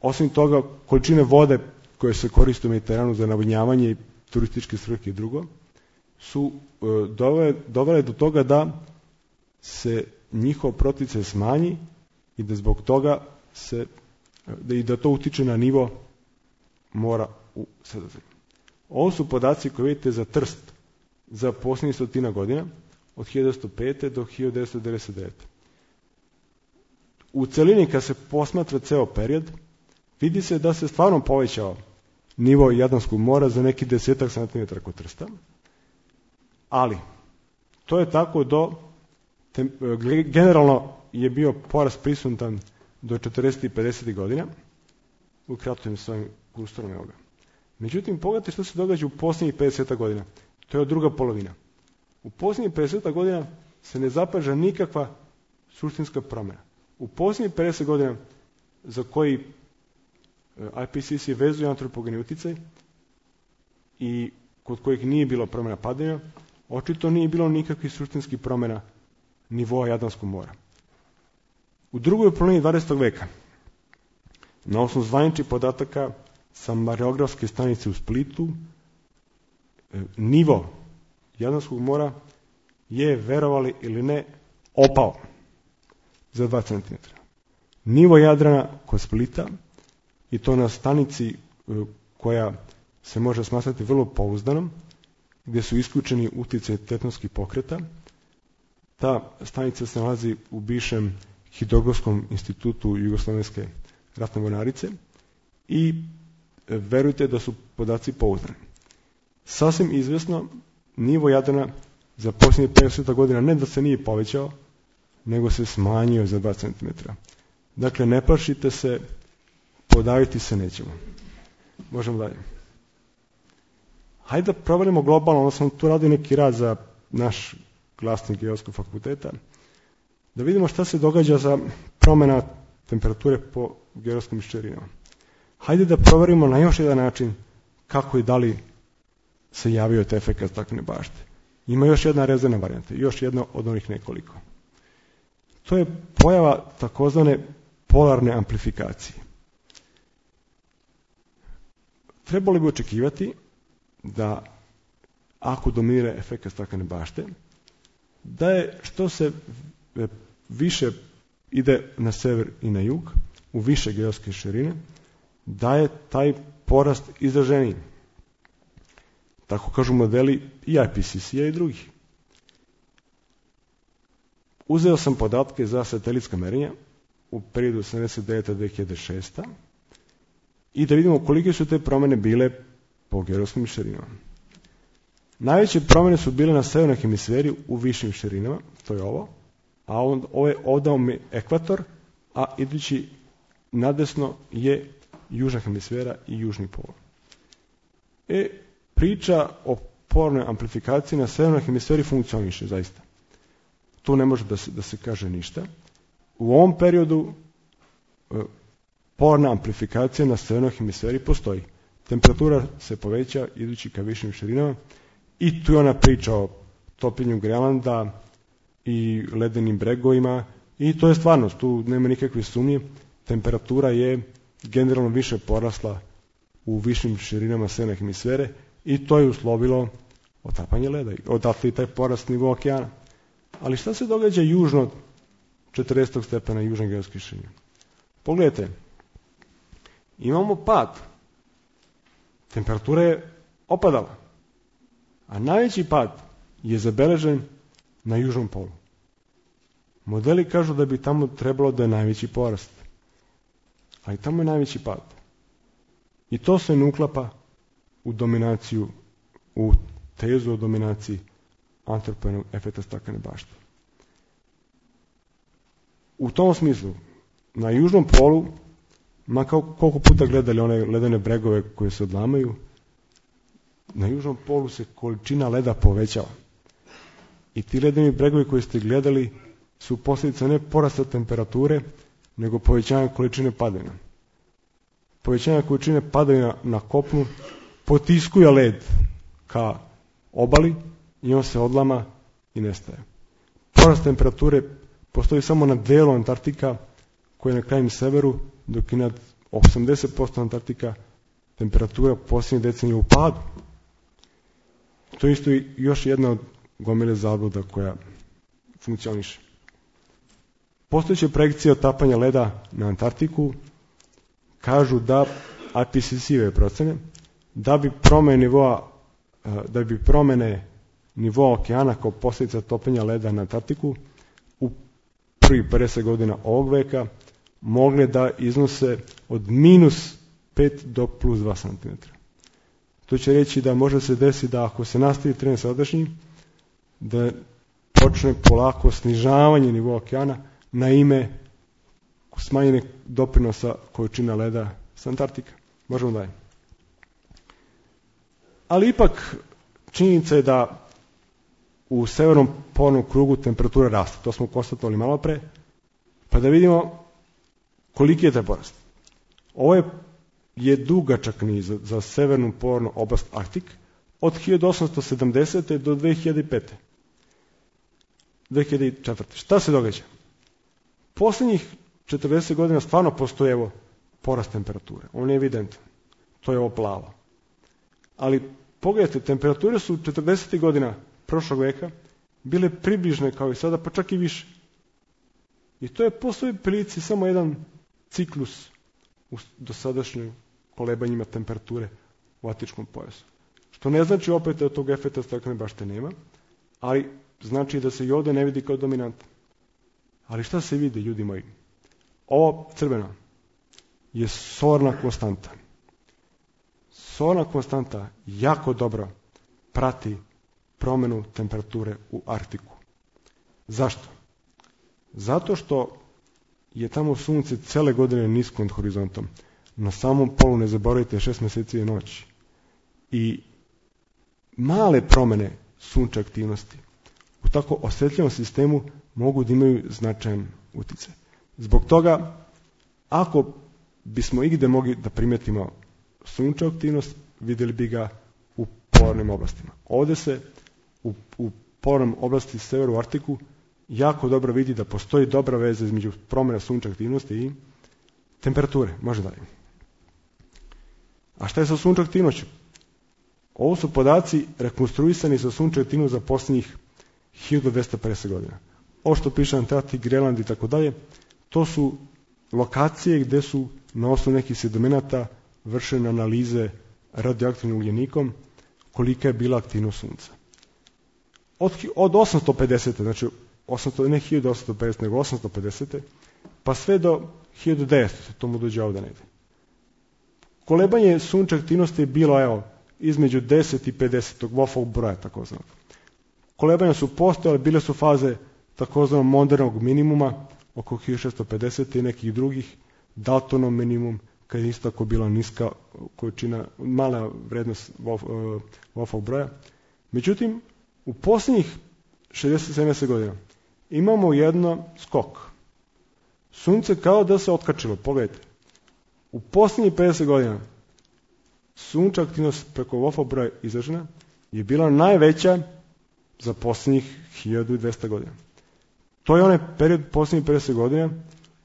Osim toga, količine vode koje se koriste u Mediteranu za navodnjavanje i turističke svrhe i drugo, su dovele do toga da se njihov proticaj smanji i da zbog toga da to utiče na nivo mora u Sredozemlju. Ovo su podaci koje vidite za Trst za posljednjih 100 godina, od 1905. do 1999. U celini kad se posmatra ceo period, vidi se da se stvarno povećao nivo Jadranskog mora za neki 10 cm kod Trsta, ali to je tako generalno je bio porast prisutan do 40. i 50. godina, ukratko s ovim kursorom ovoga. Međutim, pogledajte što se događa u posljednjih 50 godina. To je druga polovina. U posljednjih 50 godina se ne zapaža nikakva suštinska promjena. U posljednjih 50 godina za koji IPCC vezuje antropogeni utjecaj i kod kojih nije bilo promjena padanja, očito nije bilo nikakvih suštinskih promjena nivoa Jadranskog mora. U drugoj polovini 20. veka, na osnovu zvaničnih podataka sa mareografske stanice u Splitu, nivo Jadranskog mora je, verovali ili ne, opao za 2 cm. Nivo Jadrana kod Splita, i to na stanici koja se može smatrati vrlo pouzdanom, gdje su isključeni utjecaj tektonskih pokreta. Ta stanica se nalazi u bivšem Hidrografskom institutu Jugoslovenske ratne mornarice i verujte da su podaci pouzdani. Sasvim izvjesno, nivo Jadrana za posljednjih 50 godina ne da se nije povećao, nego se smanjio za 2 cm. Dakle, ne plašite se, podaviti se nećemo. Možemo dalje. Hajde da proverimo globalno, ono sam tu radio neki rad za naš glasnik Geografskog fakulteta, da vidimo šta se događa za promjena temperature po geografskim ščerinama. Hajde da proverimo na još jedan način kako i da li se javio taj efekat staklene bašte. Ima još jedna rezervna varijanta, još jedna od onih nekoliko. To je pojava takozvane polarne amplifikacije. Trebalo bi očekivati da ako dominira efekat staklene bašte, da je što se više ide na sever i na jug, u više geografske širine, da je taj porast izraženiji. Tako kažu modeli i IPCC-a i drugih. Uzeo sam podatke za satelitska merenja u periodu 1979-2006 i da vidimo kolike su te promjene bile po geografskim širinama. Najveće promjene su bile na severnoj hemisferi u višim širinama, to je ovo, a ovo je ovdje ekvator, a idući nadesno je južna hemisfera i južni pol. Priča o polarnoj amplifikaciji na severnoj hemisferi funkcioniše zaista. Tu ne može da se kaže ništa. U ovom periodu polarna amplifikacija na severnoj hemisferi postoji. Temperatura se poveća idući ka višim širinama i tu je ona priča o topljenju Grenlanda i ledenim bregovima i to je stvarnost, tu nema nikakve sumnje. Temperatura je generalno više porasla u višim širinama severne hemisfere i to je uslovilo otapanje leda, odatle i taj porast nivoa okeana. Ali šta se događa južno od 40. stepena južne geografske širine? Pogledajte, imamo pad. Temperatura je opadala, a najveći pad je zabeležen na južnom polu. Modeli kažu da bi tamo trebalo da je najveći porast, ali tamo je najveći pad. I to se ne uklapa u dominaciju, u tezu o dominaciji antropogenog efekta staklene bašte. U tom smislu, na južnom polu, ma koliko puta gledali one ledene bregove koje se odlamaju, na južnom polu se količina leda povećava. I ti ledeni bregovi koje ste gledali su posljedica ne porasta temperature, nego povećanja količine padavina. Povećanje količine padavina na kopnu potiskuje led ka obali i on se odlama i nestaje. Porast temperature postoji samo na delu Antarktika koji je na krajnjem severu, dok i nad 80% Antarktika temperatura posljednje decenije u padu. To je isto još jedna od gomile zabluda koja funkcioniše. Postojeće projekcije otapanja leda na Antarktiku kažu da IPCC-ove procene da bi promjene nivoa okeana kao posljedica topljenja leda na Antarktiku u prvih 50 godina ovog veka mogle da iznose od -5 do +2 cm. To će reći da može se desiti da ako se nastavi trend sadašnji, da počne polako snižavanje nivoa okeana na ime smanjene doprinosa količina leda s Antarktika. Možemo dalje. Ali ipak činjenica je da u severnom polarnom krugu temperatura raste. To smo konstatovali malo pre. Pa da vidimo koliki je taj porast. Ovo je dugačak niz za severnu polarnu oblast Arktik od 1870. do 2005. 2004. Šta se događa? Posljednjih 40 godina stvarno postoji evo porast temperature. On je evidentan. To je ovo plavo. Ali pogledajte, temperature su 40. godina prošlog veka bile približne kao i sada, pa čak i više. I to je po svoj prilici samo jedan ciklus u dosadašnjim kolebanjima temperature u Atičkom pojasu. Što ne znači opet da tog efekta staklene bašte nema, ali znači da se i ovdje ne vidi kao dominantan. Ali šta se vidi, ljudi moji? Ovo crveno je solarna konstanta. Solarna konstanta jako dobro prati promjenu temperature u Arktiku. Zašto? Zato što je tamo sunce cele godine nisko nad horizontom. Na samom polu, ne zaboravite, 6 mjeseci je noć. I male promjene sunčeve aktivnosti u tako osjetljivom sistemu mogu da imaju značajan utjecaj. Zbog toga, ako bismo igdje mogli da primetimo sunčevu aktivnost, vidjeli bi ga u polarnim oblastima. Ovdje se u polarnom oblasti severu Arktiku jako dobro vidi da postoji dobra veza između promjena sunčeve aktivnosti i temperature. Može dalje. A šta je sa sunčevom aktivnošću? Ovo su podaci rekonstruisani sa sunčevom aktivnošću za posljednjih 1250 godina. Ovo što piše Antarktik, Grenland i tako dalje, to su lokacije gdje su na osnovu nekih sedimenata vršene analize radioaktivnim ugljenikom kolika je bila aktivnost sunca. Od 850. znači ne 1850, nego 850. pa sve do 1900. to mu dođe ovdje negdje. Kolebanje sunčeve aktivnosti je bilo između 10 i 50. Wolfovog broja takozvanog. Kolebanja su postojale, bile su faze takozvanog modernog minimuma oko 1650 i nekih drugih, Daltonov minimum, kad je isto tako bila niska količina, mala vrednost Wolfovog broja. Međutim, u posljednjih 60-70 godina imamo jedno skok. Sunce kao da se otkačilo, pogledajte. U posljednjih 50 godina sunčeva aktivnost preko Wolfovog broja izražena je bila najveća za posljednjih 1200 godina. To je onaj period posljednjih 50 godina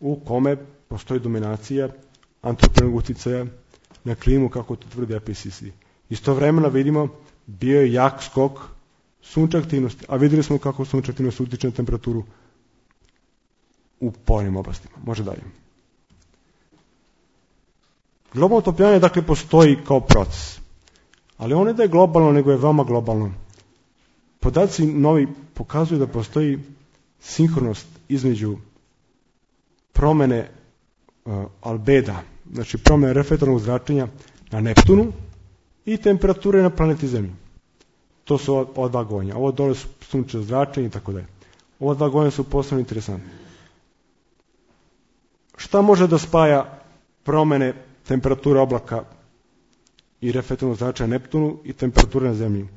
u kome postoji dominacija antropogenog utjecaja na klimu, kako to tvrdi IPCC. Istovremeno vidimo bio je jak skok sunčeve aktivnosti, a vidjeli smo kako sunčeva aktivnost utječe na temperaturu u polarnim oblastima. Može dalje. Globalno otopljavanje dakle postoji kao proces, ali on ne da je globalno, nego je veoma globalno. Podaci novi pokazuju da postoji sinhronost između promjene albeda, znači promjene reflektornog zračenja na Neptunu i temperature na planeti Zemlji. To su ova dva gonja. Ovo dole su sunčevo zračenje i tako dalje. Ova dva gonja su posebno interesantne. Šta može da spaja promjene temperature oblaka i reflektornog zračenja na Neptunu i temperature na Zemlji?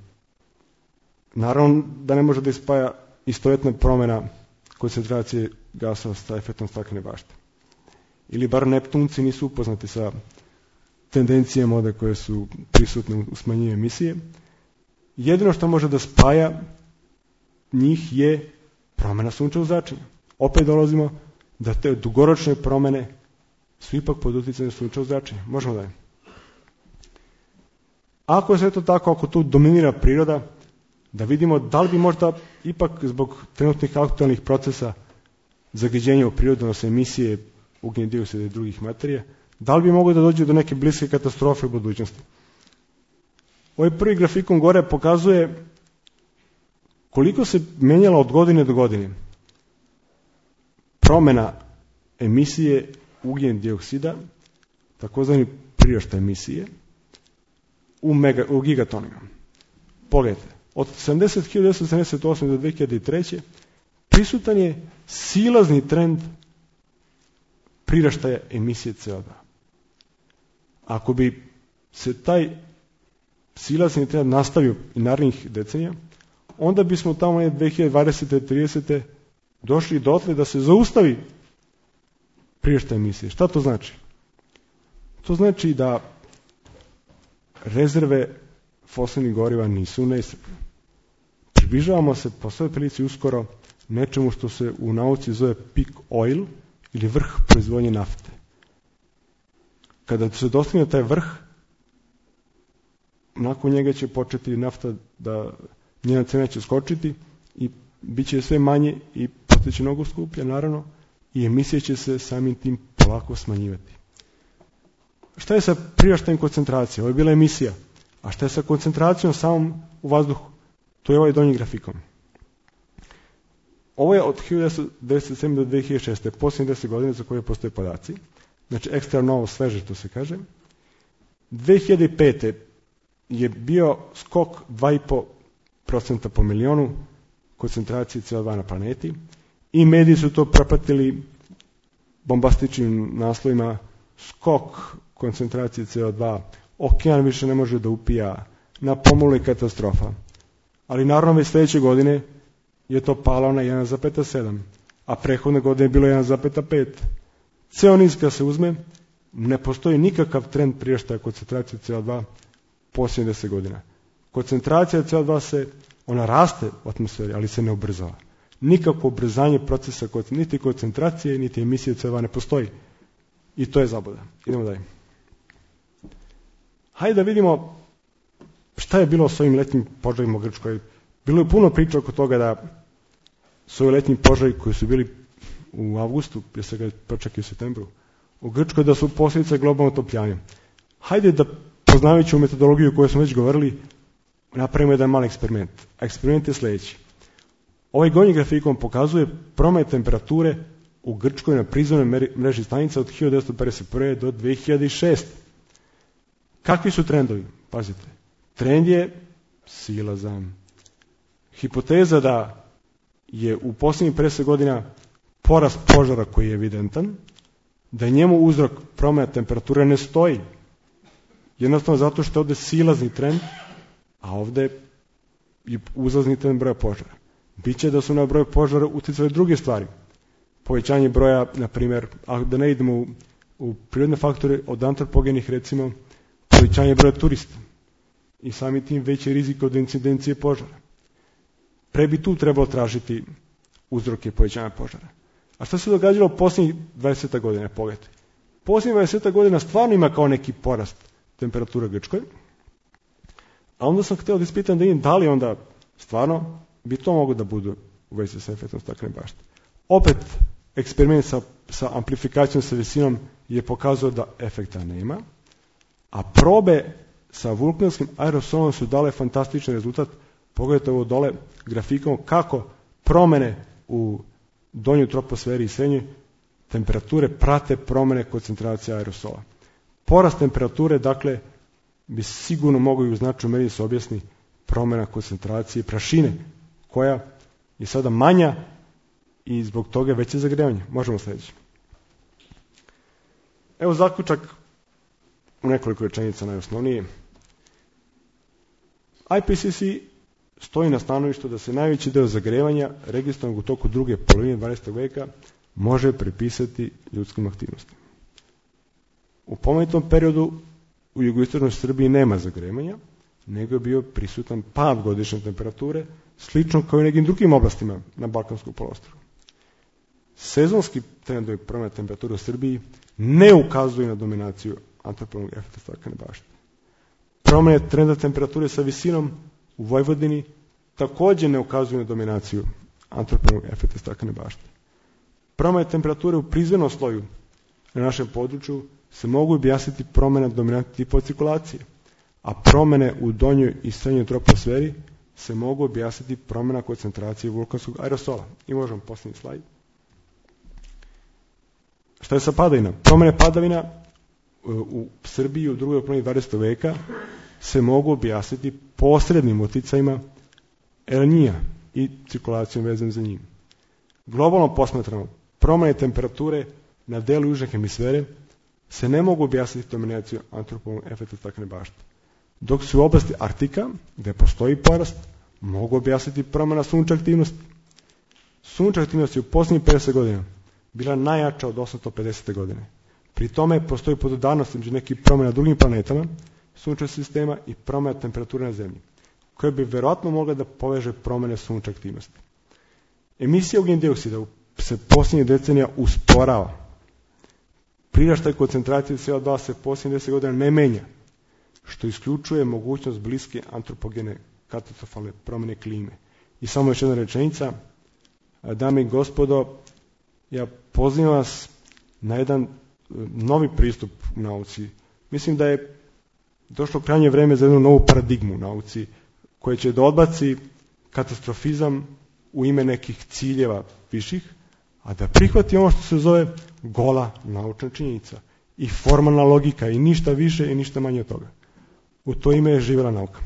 Naravno da ne može da ispaja istovjetna promjena koncentracije gasova sa efektom staklene bašte. Ili bar Neptunci nisu upoznati sa tendencijama ovdje koje su prisutne u smanjenju emisije. Jedino što može da spaja njih je promjena sunčevog zračenja. Opet dolazimo da te dugoročne promjene su ipak pod utjecajem sunčevog zračenja. Možemo dalje. Ako je sve to tako, ako tu dominira priroda, da vidimo da li bi možda ipak zbog trenutnih aktualnih procesa zagađenja u prirodu, odnosno emisije ugljičnog dioksida i drugih materija, da li bi moglo da dođe do neke bliske katastrofe u budućnosti. Ovaj prvi grafikon gore pokazuje koliko se menjala od godine do godine promjena emisije ugljičnog dioksida, takozvani priraštaj emisije, u gigatonima. Pogledajte, od 1978. do 2003. prisutan je silazni trend priraštaja emisije CO2. Ako bi se taj silazni trend nastavio i narednih decenija, onda bismo tamo 2020. 30. došli dotle da se zaustavi priraštaj emisije. Šta to znači? To znači da rezerve fosilnih goriva nisu neiscrpne. Približavamo se po svoj prilici uskoro nečemu što se u nauci zove peak oil ili vrh proizvodnje nafte. Kada se dostigne taj vrh, nakon njega će početi nafta da njena cena će skočiti i bit će sve manje i postaće mnogo skuplja, naravno, i emisije će se samim tim polako smanjivati. Šta je sa priraštajem koncentracije? Ovo je bila emisija. A šta je sa koncentracijom samom u vazduhu? To je ovaj donji grafikon. Ovo je od 1997. do 2006. posljednje 10 godina za koje postoje podaci. Znači ekstra novo, sveže, to se kaže. 2005. je bio skok 2,5% po milionu koncentracije CO2 na planeti i mediji su to propratili bombastičnim naslovima: skok koncentracije CO2, okean više ne može da upija, na pomolu je katastrofa. Ali naravno već sljedeće godine je to palo na 1,7, a prethodne godine je bilo 1,5. Ceo niz kad se uzme, ne postoji nikakav trend priraštaja koncentracije CO2 posljednjih 10 godina. Koncentracija CO2 ona raste u atmosferi, ali se ne ubrzava. Nikakvo ubrzanje procesa, niti koncentracije, niti emisije CO2 ne postoji. I to je zabluda. Idemo dalje. Hajde da vidimo šta je bilo s ovim letnjim požarima u Grčkoj. Bilo je puno priča oko toga da su ovi letnji požari koji su bili u avgustu, prije svega čak i u septembru, u Grčkoj, da su posljedice globalnog otopljanja. Hajde da, poznavajući u metodologiju koju smo već govorili, napravimo jedan mali eksperiment. A eksperiment je sljedeći. Ovaj gornji grafikon pokazuje promet temperature u Grčkoj na prizemnoj mreži stanica od 1951. do 2006. Kakvi su trendovi? Pazite. Trend je silazan. Hipoteza da je u posljednjih 50 godina porast požara koji je evidentan, da je njemu uzrok promjena temperature ne stoji. Jednostavno zato što je ovdje silazni trend, a ovdje je uzlazni trend broja požara. Biće da su na broj požara utjecali druge stvari. Povećanje broja, na primjer, a da ne idemo u prirodne faktore od antropogenih, recimo, povećanje broja turista i sami tim veći rizik od incidencije požara. Pre bi tu trebalo tražiti uzroke povećanja požara. A što se događalo posljednjih 20 godina? Pogledajte. Posljednjih 20 godina stvarno ima kao neki porast temperature u Grčkoj, a onda sam htio da ispitam da li onda stvarno bi to moglo da budu u vezi sa efektom staklene bašte. Opet, eksperiment sa amplifikacijom sa visinom je pokazao da efekta nema, a probe sa vulkanskim aerosolom su dale fantastičan rezultat. Pogledajte ovo dole grafikom kako promjene u donjoj troposferi i srednjoj temperature prate promjene koncentracije aerosola. Porast temperature, dakle, bi sigurno mogao i u značajnoj meri se objasni promjena koncentracije prašine, koja je sada manja i zbog toga veće zagrevanje. Možemo sljedeći. Evo zaključak u nekoliko rečenica najosnovnije. IPCC stoji na stanovištu da se najveći deo zagrevanja registrovanog u toku druge polovine 20. veka može pripisati ljudskim aktivnostima. U pomenutom periodu u jugoistočnoj Srbiji nema zagrevanja, nego je bio prisutan pad godišnje temperature, slično kao i u nekim drugim oblastima na Balkanskom poluostrvu. Sezonski trendovi promjene temperature u Srbiji ne ukazuju na dominaciju antropogenog efekta staklene bašte. Promjene trenda temperature sa visinom u Vojvodini također ne ukazuju na dominaciju antropogenog efekta staklene bašte. Promjene temperature u prizemnom sloju na našem području se mogu objasniti promjena dominantnih tipova cirkulacije, a promjene u donjoj i srednjoj troposferi se mogu objasniti promjena koncentracije vulkanskog aerosola. I možemo posljednji slajd. Šta je sa padavina? Promjene padavina u Srbiji u drugoj polovini 20. veka se mogu objasniti posrednim utjecajima El Niña i cirkulacijom vezanom za njim. Globalno posmatrano, promjene temperature na delu južne hemisfere se ne mogu objasniti dominacijom antropogenog efekta staklene bašte. Dok se u oblasti Arktika, gdje postoji porast, mogu objasniti promjena sunčeve aktivnosti. Sunčeva aktivnost je u posljednjih 50 godina bila najjača od 850. godine. Pri tome postoji podudarnost među nekih promjena drugim planetama, sunčevog sistema i promjena temperature na Zemlji, koje bi vjerojatno mogla da poveže promjene sunčeve aktivnosti. Emisija ugljičnog dioksida se posljednjih decenija usporava. Priraštaj koncentracije CO2 se posljednjih 10 godina ne menja, što isključuje mogućnost bliske antropogene katastrofalne promjene klime. I samo još jedna rečenica, dame i gospodo, ja pozivam vas na jedan novi pristup u nauci. Mislim da je došlo krajnje vreme za jednu novu paradigmu u nauci, koja će da odbaci katastrofizam u ime nekih ciljeva viših, a da prihvati ono što se zove gola naučna činjenica i formalna logika i ništa više i ništa manje od toga. U to ime je živjela nauka.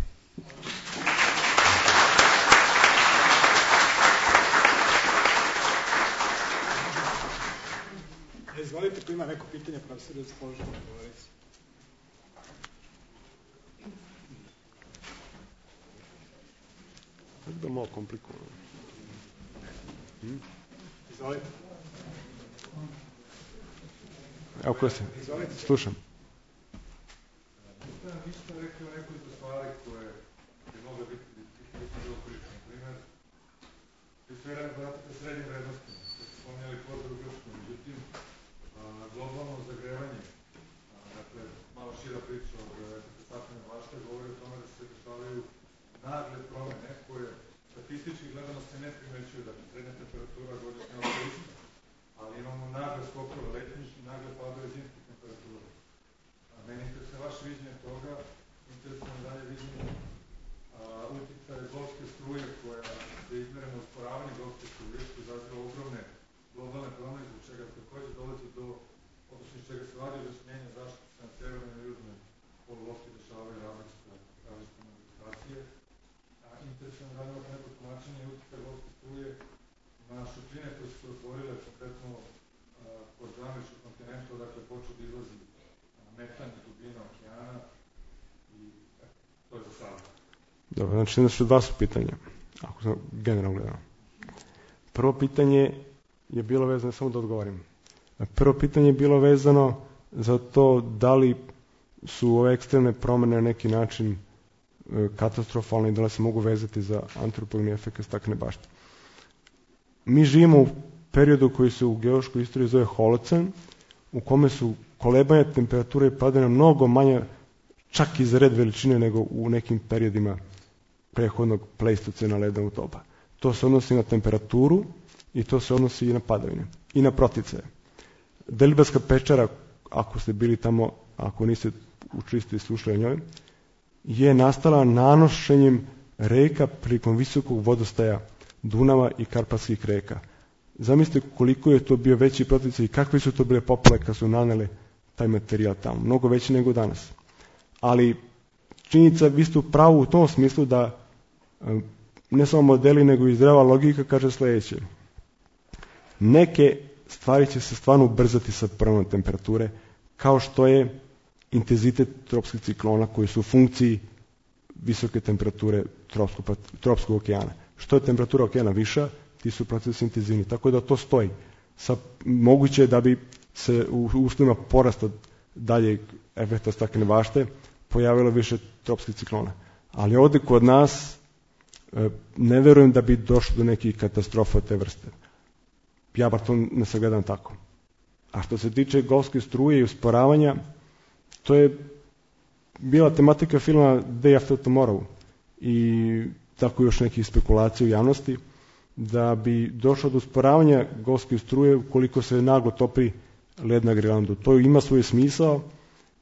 Izvolite, ko ima neko pitanje, profesor, da se položite na govornici. Tako da malo komplikovano. Izvolite. Evo ko se, slušam. Vi ste rekli nekoliko stvari koje bi mogle biti okolične. Na primjer, vi ste vratite srednje vrednosti, što ste spominjali kvota u Grčku, međutim, globalno zagrevanje, dakle, malo šira priča od staklene bašte, govori o tome da se dešavaju nagle promene koje statistički gledano se ne primećuju, dakle, srednja temperatura godišnja je ista, ali imamo nagle skokove letnjih i nagle padove zimskih temperatura. Meni interesuje vaše viđenje toga, interesuje dalje viđenje utjecaja golfske struje koja je izmerena usporavanje golfske struje, što izaziva ogromne globalne promene, zbog čega takođe dolazi do, odnosno iz čega se vadi objašnjenje zašto se na severnoj i južnoj polulopti dešavaju različite manifestacije. Interesuje me radimo neko tumačenje utjecaja golfske struje na šupljine koje su se otvorile, konkretno kod američkog kontinenta, dakle počeo da izlazi metan i dubina okeana i to je za sada. Dobro, znači dva su pitanja, ako sam generalno gledao. Prvo pitanje je bilo vezano, samo da odgovorim. Prvo pitanje je bilo vezano za to da li su ove ekstremne promjene na neki način katastrofalne i da li se mogu vezati za antropogeni efekt staklene bašte. Mi živimo u periodu koji se u geološkoj istoriji zove holocen, u kome su kolebanja temperature i padanja mnogo manje, čak i za red veličine nego u nekim periodima prethodnog pleistocena ledovnog doba. To se odnosi na temperaturu i to se odnosi i na padavine i na proticaje. Deliblatska pečara, ako ste bili tamo, ako niste učili i slušali o njoj, je nastala nanošenjem reka prilikom visokog vodostaja Dunava i Karpatskih reka. Zamislite koliko je to bio veći proticaj i kakve su to bile poplave kad su nanele taj materijal tamo. Mnogo veći nego danas. Ali činjenica, vi ste u pravu u tom smislu da ne samo modeli nego i zdrava logika kaže sljedeće. Neke stvari će se stvarno ubrzati sa promjenom temperature, kao što je intenzitet tropskih ciklona koji su u funkciji visoke temperature tropskog okeana. Što je temperatura okeana viša, ti su procesi intenzivni. Tako da to stoji. Moguće je da bi se u uslovima porasta daljeg efekta staklene bašte pojavilo više tropskih ciklona. Ali ovdje kod nas ne verujem da bi došlo do nekih katastrofa te vrste. Ja bar to ne sagledam tako. A što se tiče golfske struje i usporavanja, to je bila tematika filma Day After Tomorrow i tako još nekih spekulacija u javnosti, da bi došlo do usporavanja golfske struje ukoliko se naglo topi led na Grenlandu. To ima svoj smisao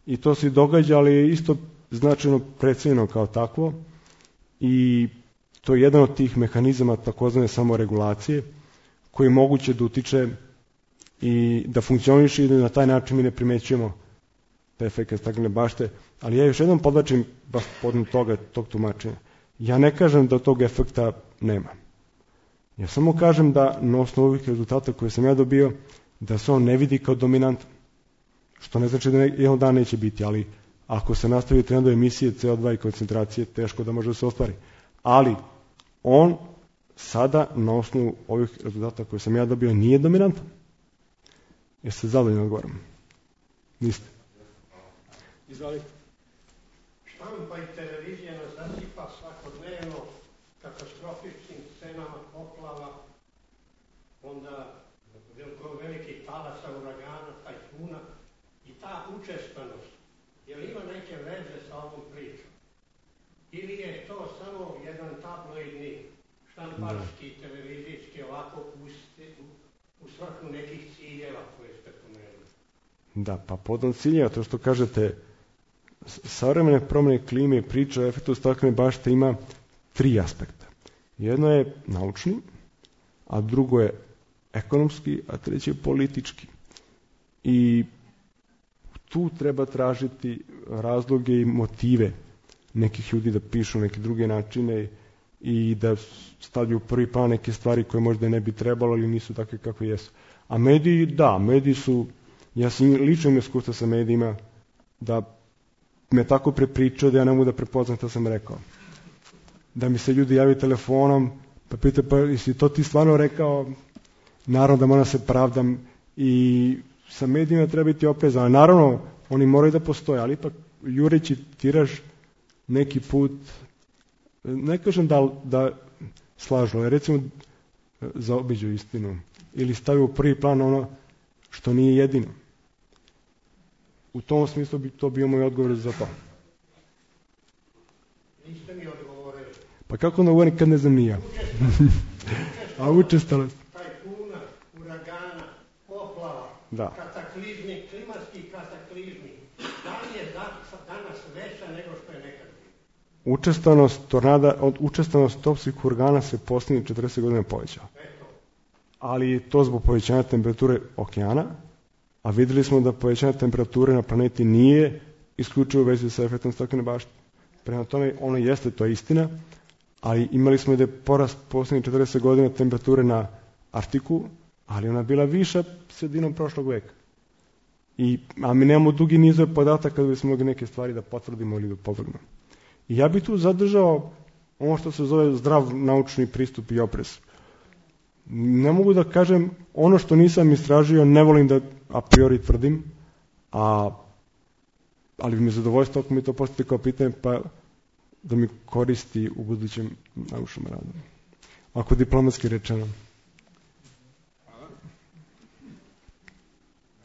i to se događa, ali je isto značajno precijenjeno kao takvo i to je jedan od tih mehanizama takozvane samoregulacije koji je moguće da utiče i da funkcioniše i da na taj način mi ne primećujemo te efekte staklene bašte. Ali ja još jednom podlačim baš podnu tog tumačenja. Ja ne kažem da tog efekta nema. Ja samo kažem da na osnovu ovih rezultata koje sam ja dobio, da se on ne vidi kao dominantan. Što ne znači da jedan dan neće biti, ali ako se nastavi trendove emisije CO2 i koncentracije, teško da može da se ostvari. Ali on sada na osnovu ovih rezultata koje sam ja dobio nije dominantan. Jeste zadovoljni odgovorom? Niste. Izvolite. Štampa i televizija nas zasipa svakodnevno katastrofičnim scenama poplava, onda velikih talasa, uragana, tajfuna i ta učestvanost, je li ima neke veze sa ovom pričom? Ili je to samo jedan tabloidni, štamparski, televizijski, ovako u svrhu nekih ciljeva koje ste pomenuli? Da, pa podom ciljeva, to što kažete, savremene promjene klime i priča o efektu staklene bašte ima 3 aspekta. Jedno je naučni, a drugo je ekonomski, a treći je politički. I tu treba tražiti razloge i motive nekih ljudi da pišu neke druge načine i da stavljaju u prvi plan neke stvari koje možda ne bi trebalo ili nisu takve kakve jesu. A mediji, da, mediji su, ja sam lično imao iskustva sa medijima, da me tako prepričao da ja ne mogu da prepoznam što sam rekao. Da mi se ljudi javaju telefonom, pa pitaju, pa jesi to ti stvarno rekao? Naravno da moram se pravdam i sa medijima treba biti oprezan. Naravno, oni moraju da postoje, ali ipak jureći tiraž neki put, ne kažem da slažu, ali recimo zaobiđu istinu ili stavio u prvi plan ono što nije jedino. U tom smislu bi to bio moj odgovor za to. Niste mi odgovorili. Pa kako onda govorim kad ne znam ni ja? A učestalost. Tajfuna, uragana, poplava, kataklizmi, klimatski kataklizmi. Da li je danas veća nego što je nekad bilo? Učestalost tornada, učestalost topskih uragana se posljednjih 40 godina povećala. Ali to zbog povećanja temperature okeana, a vidjeli smo da povećanje temperature na planeti nije isključivo u vezi sa efektom staklene bašte. Prema tome, ono jeste, to je istina, ali imali smo da je porast posljednjih 40 godina temperature na Arktiku, ali ona bila viša sredinom prošlog veka. A mi nemamo dugi nizove podataka kada bismo mogli neke stvari da potvrdimo ili da opovrgnemo. I ja bih tu zadržao ono što se zove zdrav naučni pristup i oprez. Ne mogu da kažem ono što nisam istražio, ne volim da a priori tvrdim, ali bi mi zadovoljstvo ako mi to postavite kao pitanje, pa da mi koristi u budućem naučnom radu. Ako diplomatski rečeno.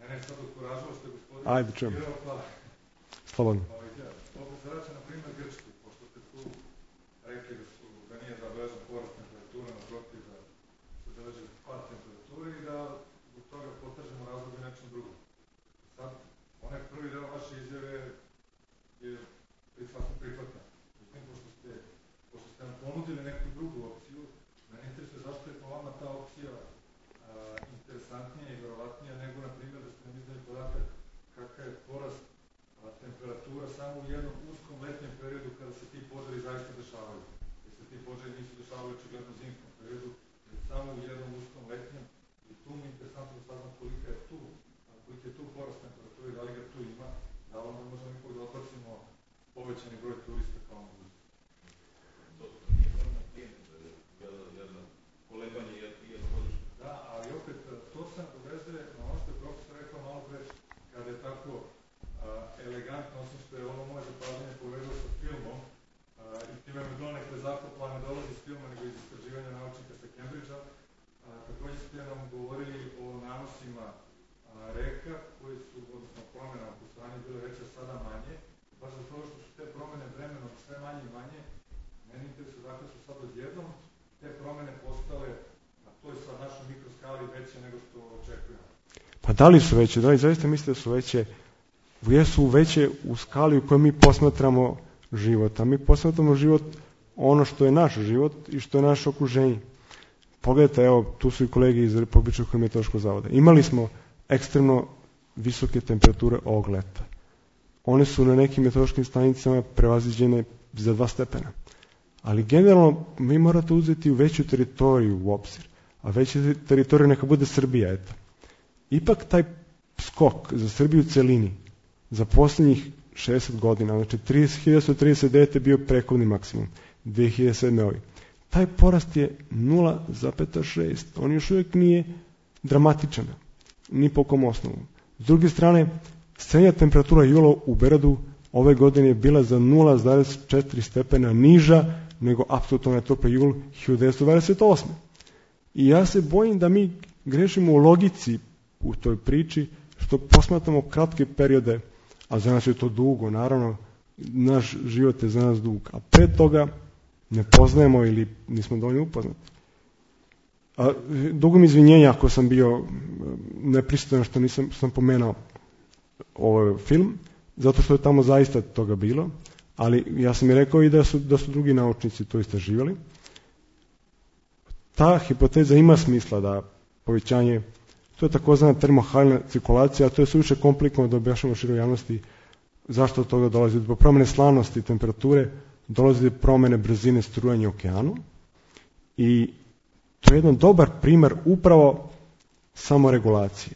Mene sad okuražilo ste, gospodine. Ajde, čujem. Slobodno. Opet se vraća na primjer Grčku, pošto ste tu rekli da nije zabeležen porast temperature, naprotiv da se beleži pad temperature i da zbog toga potražimo razloga nečem drugom. Sad, onaj prvi deo vaše izjave je sasvim prihvatna. Međutim, pošto ste nam ponudili neku drugu opciju, mene interesuje zašto je po vama ta opcija interesantnija i verovatnija nego, na primjer, da ste nam izdali podatak kakav je porast temperatura samo u jednom uskom letnjem periodu kada se ti požari zaista dešavaju. Jer se ti požari nisu dešavali očigledno u zimskom periodu, jer samo u jednom uskom letnjem. I tu mi je interesantno da saznam kolika je tu porast temperature, da li ga tu ima, da onda možemo ipak da odbacimo povećani broj turista kao mogućnost. Da, ali opet to se dovezuje na ono što je profesor rekao malo pre, kada je tako elegantno, osim što je ovo moje zapažanje povedao sa filmom i time me donekle zakopla, ne dolazi iz filma nego iz istraživanja naučnika sa Cambridgea. Također ste nam govorili o nanosima reka koji su, odnosno promjena u strani bile veće, sada manje. Baš za to što su te promjene vremenom sve manje i manje, meni interesuje dakle su sad odjednom te promjene postale na toj sad našoj mikroskali veće nego što očekujemo. Pa da li su veće? Da li zaista mislite da su veće? Jesu veće u skali u kojoj mi posmatramo život. A mi posmatramo život ono što je naš život i što je naše okruženje. Pogledajte, evo, tu su i kolege iz Republičkog hidrometeorološkog zavoda. Imali smo ekstremno visoke temperature ovog leta. One su na nekim meteorološkim stanicama prevaziđene za 2 stepena. Ali generalno vi morate uzeti u veću teritoriju u obzir. A veća teritorija neka bude Srbija, eto. Ipak taj skok za Srbiju u celini za posljednjih 60 godina, znači 1939 je bio prekovni maksimum, 2007. ovi. Taj porast je 0,6. On još uvijek nije dramatičan, ni po kom osnovu. S druge strane, srednja temperatura jula u Beogradu ove godine je bila za 0,4 stepena niža nego apsolutno topli jul 1928. I ja se bojim da mi grešimo u logici u toj priči, što posmatramo kratke periode, a za nas je to dugo, naravno, naš život je za nas dug, a pre toga ne poznajemo ili nismo dovoljno upoznati. Dugo mi izvinjenja ako sam bio nepristojan što sam pomenao ovaj film, zato što je tamo zaista toga bilo, ali ja sam i rekao i da su drugi naučnici to istraživali. Ta hipoteza ima smisla da povećanje, to je takozvana termohalna cirkulacija, a to je suviše komplikovano da objašnjamo široj javnosti zašto od toga dolazi. Zbog promene slanosti i temperature dolazi do promene brzine strujanja u okeanu i to je jedan dobar primer upravo samoregulacije.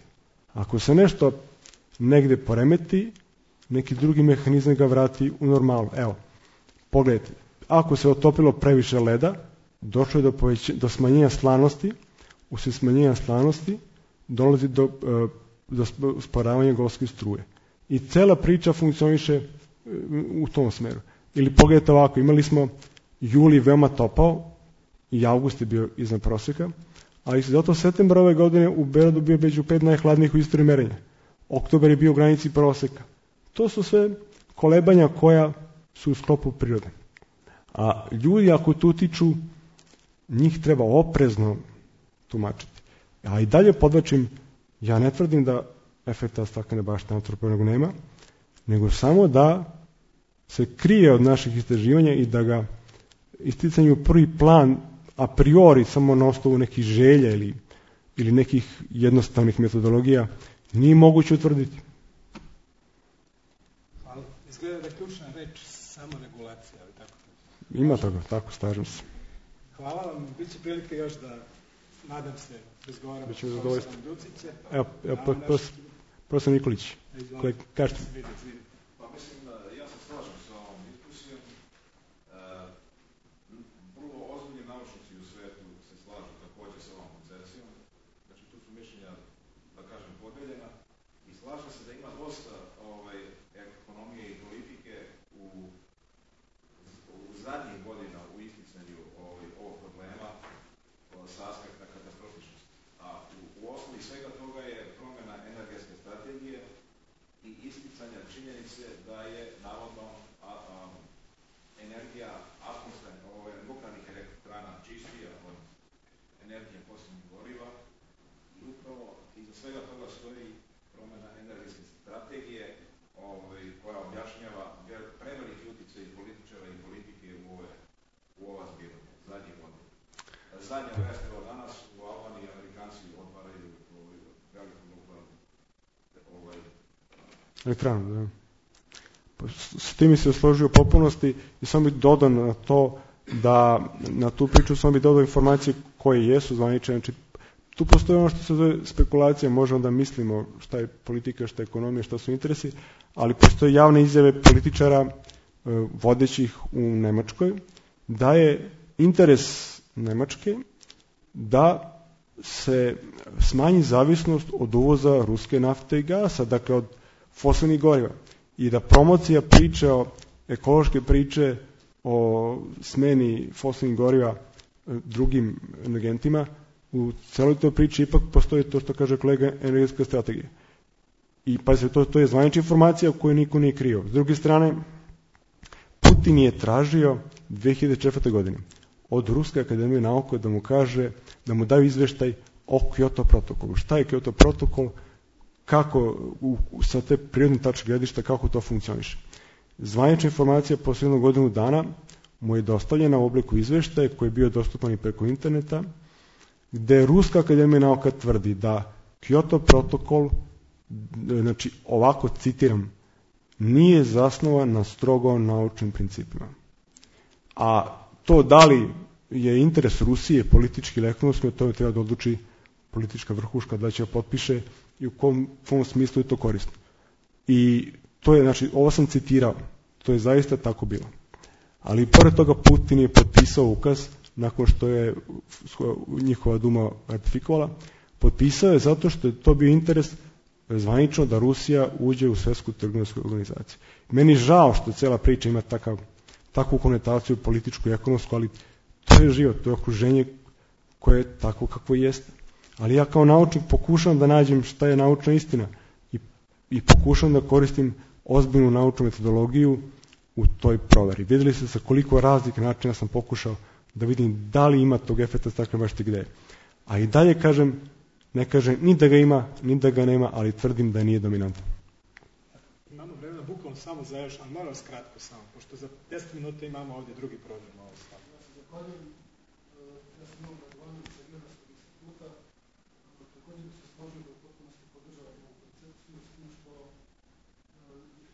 Ako se nešto negde poremeti, neki drugi mehanizam ga vrati u normalu. Evo, pogledajte, ako se otopilo previše leda, došlo je do smanjenja slanosti, usred smanjenja slanosti dolazi do usporavanja golske struje. I cela priča funkcioniše u tom smeru. Ili pogledajte ovako, imali smo juli veoma topao i avgust je bio iznad proseka, ali zato septembar ove godine u Beogradu bio među 5 najhladnijih u istoriji merenja. Oktobar je bio u granici proseka. To su sve kolebanja koja su u sklopu prirode. A ljudi ako tu utiču, njih treba oprezno tumačiti. A i dalje podlačim, ja ne tvrdim da efekta staklene bašte antropogenog nema, nego samo da se krije od naših istraživanja i da ga isticanju prvi plan a priori samo na osnovu nekih želja ili nekih jednostavnih metodologija nije moguće utvrditi. Ali izgleda da je ključna reč samoregulacija, ali tako? Ima toga, tako, slažem se. Hvala vam, bit će prilike još da, nadam se, razgovaramo s profesorom Ducićem. Evo, profesor Nikolić, kažete. Pa mislim da ja se slažem sa ovom diskusijom. Vrlo ozbiljni naučnici u svetu se slažu također sa ovom koncepcijom. Znači tu su mišljenja, da kažem, podeljena i slaže se da ima dosta ekonomije i politike u zadnjih godina u isticanju ovog problema sa aspekta katastrofičnosti. A u osnovi svega toga je promjena energetske strategije i isticanja činjenice da je navodno energija nuklearnih elektrana čistija od energije fosilnih goriva i upravo iza svega toga stoji promjena energetske strategije koja objašnjava preveliki utjecaj političara i politike u ova zbivanja zadnjih godina. Zadnja vest evo danas u Albaniji Amerikanci otvaraju veliku nuklearnu elektranu, da. S tim se složio u potpunosti i samo bih dodao na to da na tu priču samo bih dodao informacije koje jesu zvanične. Znači, tu postoji ono što se zove spekulacija, možemo da mislimo šta je politika, šta je ekonomija, šta su interesi, ali postoje javne izjave političara vodećih u Nemačkoj da je interes Nemačke da se smanji zavisnost od uvoza ruske nafte i gasa, dakle od fosilnih goriva. I da promocija priče, ekološke priče o smeni fosilnih goriva drugim energentima, u celoj toj priči ipak postoji to što kaže kolega energetska strategija. I pa se to je zvanična informacija koju niko nije krio. S druge strane, Putin je tražio 2004. godine od Ruske akademije nauke da mu kaže, da mu daju izveštaj o Kyoto protokolu. Šta je Kyoto protokol, kako sa te prirodne tačke gledišta, kako to funkcioniše. Zvanična informacija posle godinu dana mu je dostavljena u obliku izveštaja koji je bio dostupan i preko interneta, gde Ruska akademija nauka tvrdi da Kyoto protokol, znači ovako citiram, nije zasnovan na strogo naučnim principima. A to da li je interes Rusije politički ili ekonomski, to je treba da odluči politička vrhuška da će potpiše i u kom smislu je to korisno. I to je, znači, ovo sam citirao, to je zaista tako bilo. Ali pored toga Putin je potpisao ukaz nakon što je njihova Duma ratifikovala, potpisao je zato što je to bio interes zvanično da Rusija uđe u Svetsku trgovinsku organizaciju. Meni žao što cela priča ima takvu konotaciju političku i ekonomsku, ali to je život, to je okruženje koje je tako kakvo jeste. Ali ja kao naučnik pokušam da nađem šta je naučna istina i pokušam da koristim ozbiljnu naučnu metodologiju u toj proveri. Vidjeli ste sa koliko raznih načina sam pokušao da vidim da li ima tog efekta staklene bašte gde je. A i dalje kažem, ne kažem ni da ga ima, ni da ga nema, ali tvrdim da nije dominantan. Imamo vremena bukvalno samo za još, ali moram skratko samo, pošto za 10 minuta imamo ovdje drugi program. Ja se zahvaljujem, ja sam imao predavanje sa Geografskog instituta, također bi se složio da u potpunosti podržavam ovu koncepciju, s tim što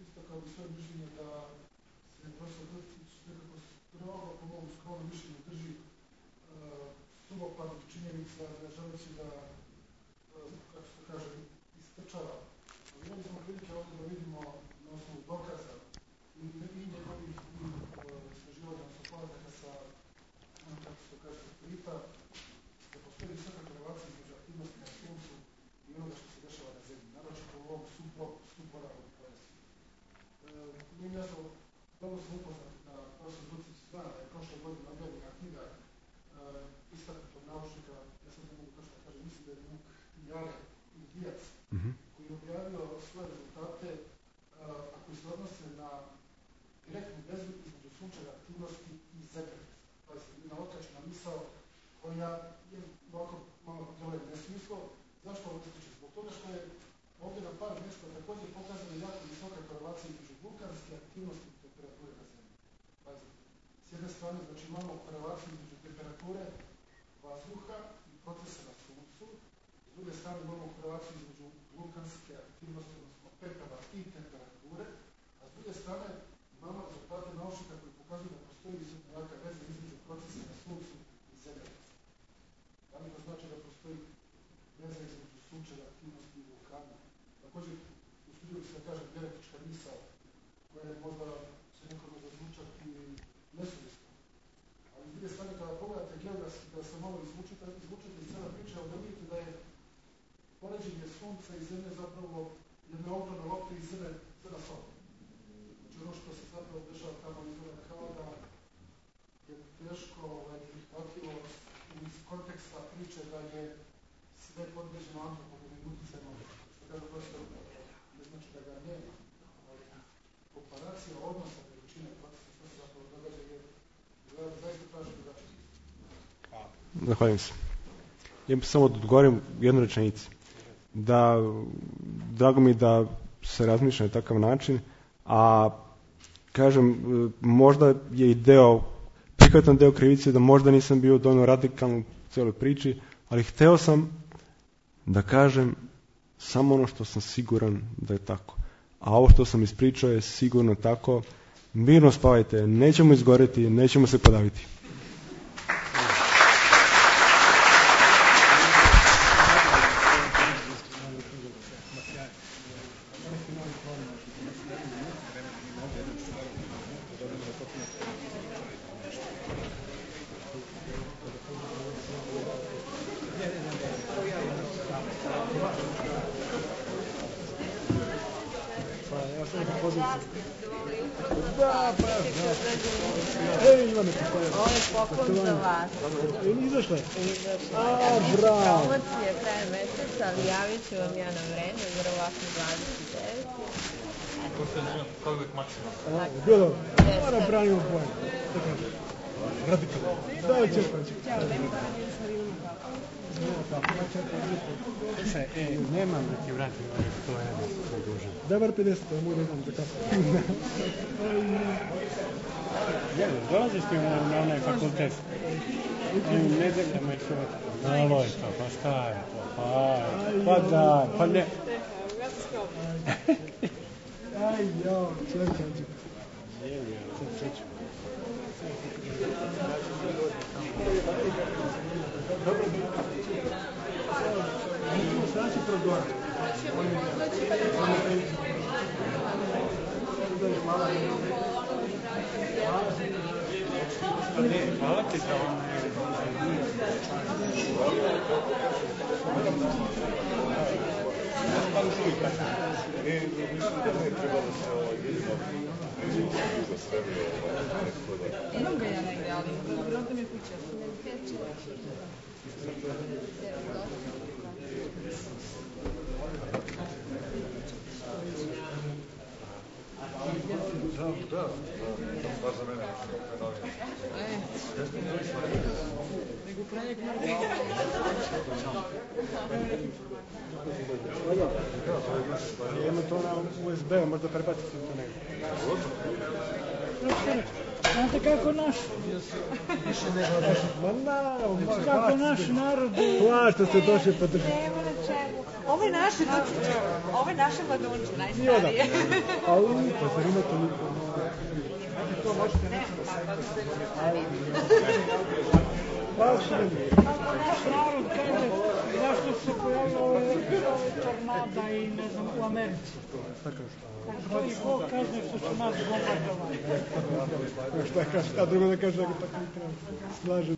istakao bi svoje mišljenje da se profesor Grcić nekako strogo, po mom skromnom mišljenju, drži suvoparnih činjenica, ne želeći da, kako se kaže, istrčava. Ali imali smo prilike ovdje da vidimo na osnovu dokaza i njegovih istraživanja, odnosno podataka sa, kako se to kaže, satelita, da postoji visoka korelacija između aktivnosti na Suncu i onoga što se dešava na Zemlji, naročito u ovom supolarnom pojasu. Nije mi jasno, dobro sam upoznat da profesor Grcić zna da je prošle godine objavljena knjiga istaknutog naučnika, ja sad ne mogu to što kažem, mislim da je Vuk Jare ili Dijac, koji je objavio svoje rezultate, a koji se odnose na direktnu vezu između sunčeve aktivnosti i zemljotresa. To je jedna otračna misao koja je ovako malo deluje nesmislo. Zašto ovo ističe? Zbog toga što je ovdje na par mjesta također pokazana jako visoka korelacija između vulkanske aktivnosti i temperature na Zemlji. S jedne strane, znači imamo korelaciju između temperature vazduha i procesa na Suncu, s druge strane imamo korelaciju između vulkanske aktivnosti, odnosno pepela i temperature, a s druge strane imamo rezultate naučnika koji pokazuju da postoji jaka veza između procesa na Suncu i zemljotresa. Da li to znači da postoji veza između sunčeve aktivnosti i vulkana? Također, usudio bi se da kažem genetička misao, koja je možda se nekome zazvučati nesuvisno. Ali s druge strane, kada pogledate geografski, kada se malo izvučete iz cijela priča, onda vidite da je poređenje Sunca i Zemlje zapravo jedna ogromna lopta iz Zemlje na sobu. Znači ono što se zapravo dešava tamo izgleda kao da je teško prihvatljivo iz konteksta priče da je sve podređeno antropogenim utjecajem. Što kaže prosto, ne znači da ga nema, ali komparacija odnosa veličine procesa što se zapravo događa je zaista traži drugačije. Zahvaljujem se. Ja bih samo da odgovorim jednu rečenicu. Drago mi da se razmišlja na takav način, a kažem, možda je i prihvatan deo krivice da možda nisam bio dovoljno radikalan u cijeloj priči, ali hteo sam da kažem samo ono što sam siguran da je tako. A ovo što sam ispričao je sigurno tako. Mirno spavajte, nećemo izgoreti, nećemo se podaviti. Ovo je poklon za vas. Izašle? Bravo. Promocije kraje meseca, ali javit ću vam ja na vreme, verovatno 29. Kao uvijek maksimalno. Bilo, moram branimo pojem. Radikalno. Da, čekaj. Nemam da ti vratim, to je dužan. Dobar 50, to moram da kako. Dolaziš ti na onaj fakultet? I u nedeljama i subotom. Malo je to, pa šta je to? Pa da, pa ne. Aj, jo, čekaj. Dobro, sad ću progovoriti. Hvala ti za ovo. Mislim da ne treba da se Imam ga ja negde, ali ovdje mi je kuća. Da, baš za mene, fenomen. Nego projekt mora Imamo to na USB-u, možda prebaciti to negdje. Znate kako naš... Kako naš narod... Plašta se došli podržati. Nema na čemu. Ovo je naše mladunče, najstarije. Au, pa zar ima toliko? To možete Ne, Kako naš narod kaže, zašto se pojavio ove tornada i ne znam, u Americi. To i Bog kaže što su nas bombardovali. Šta drugo da kaže, da ga tako ne treba. Slažem.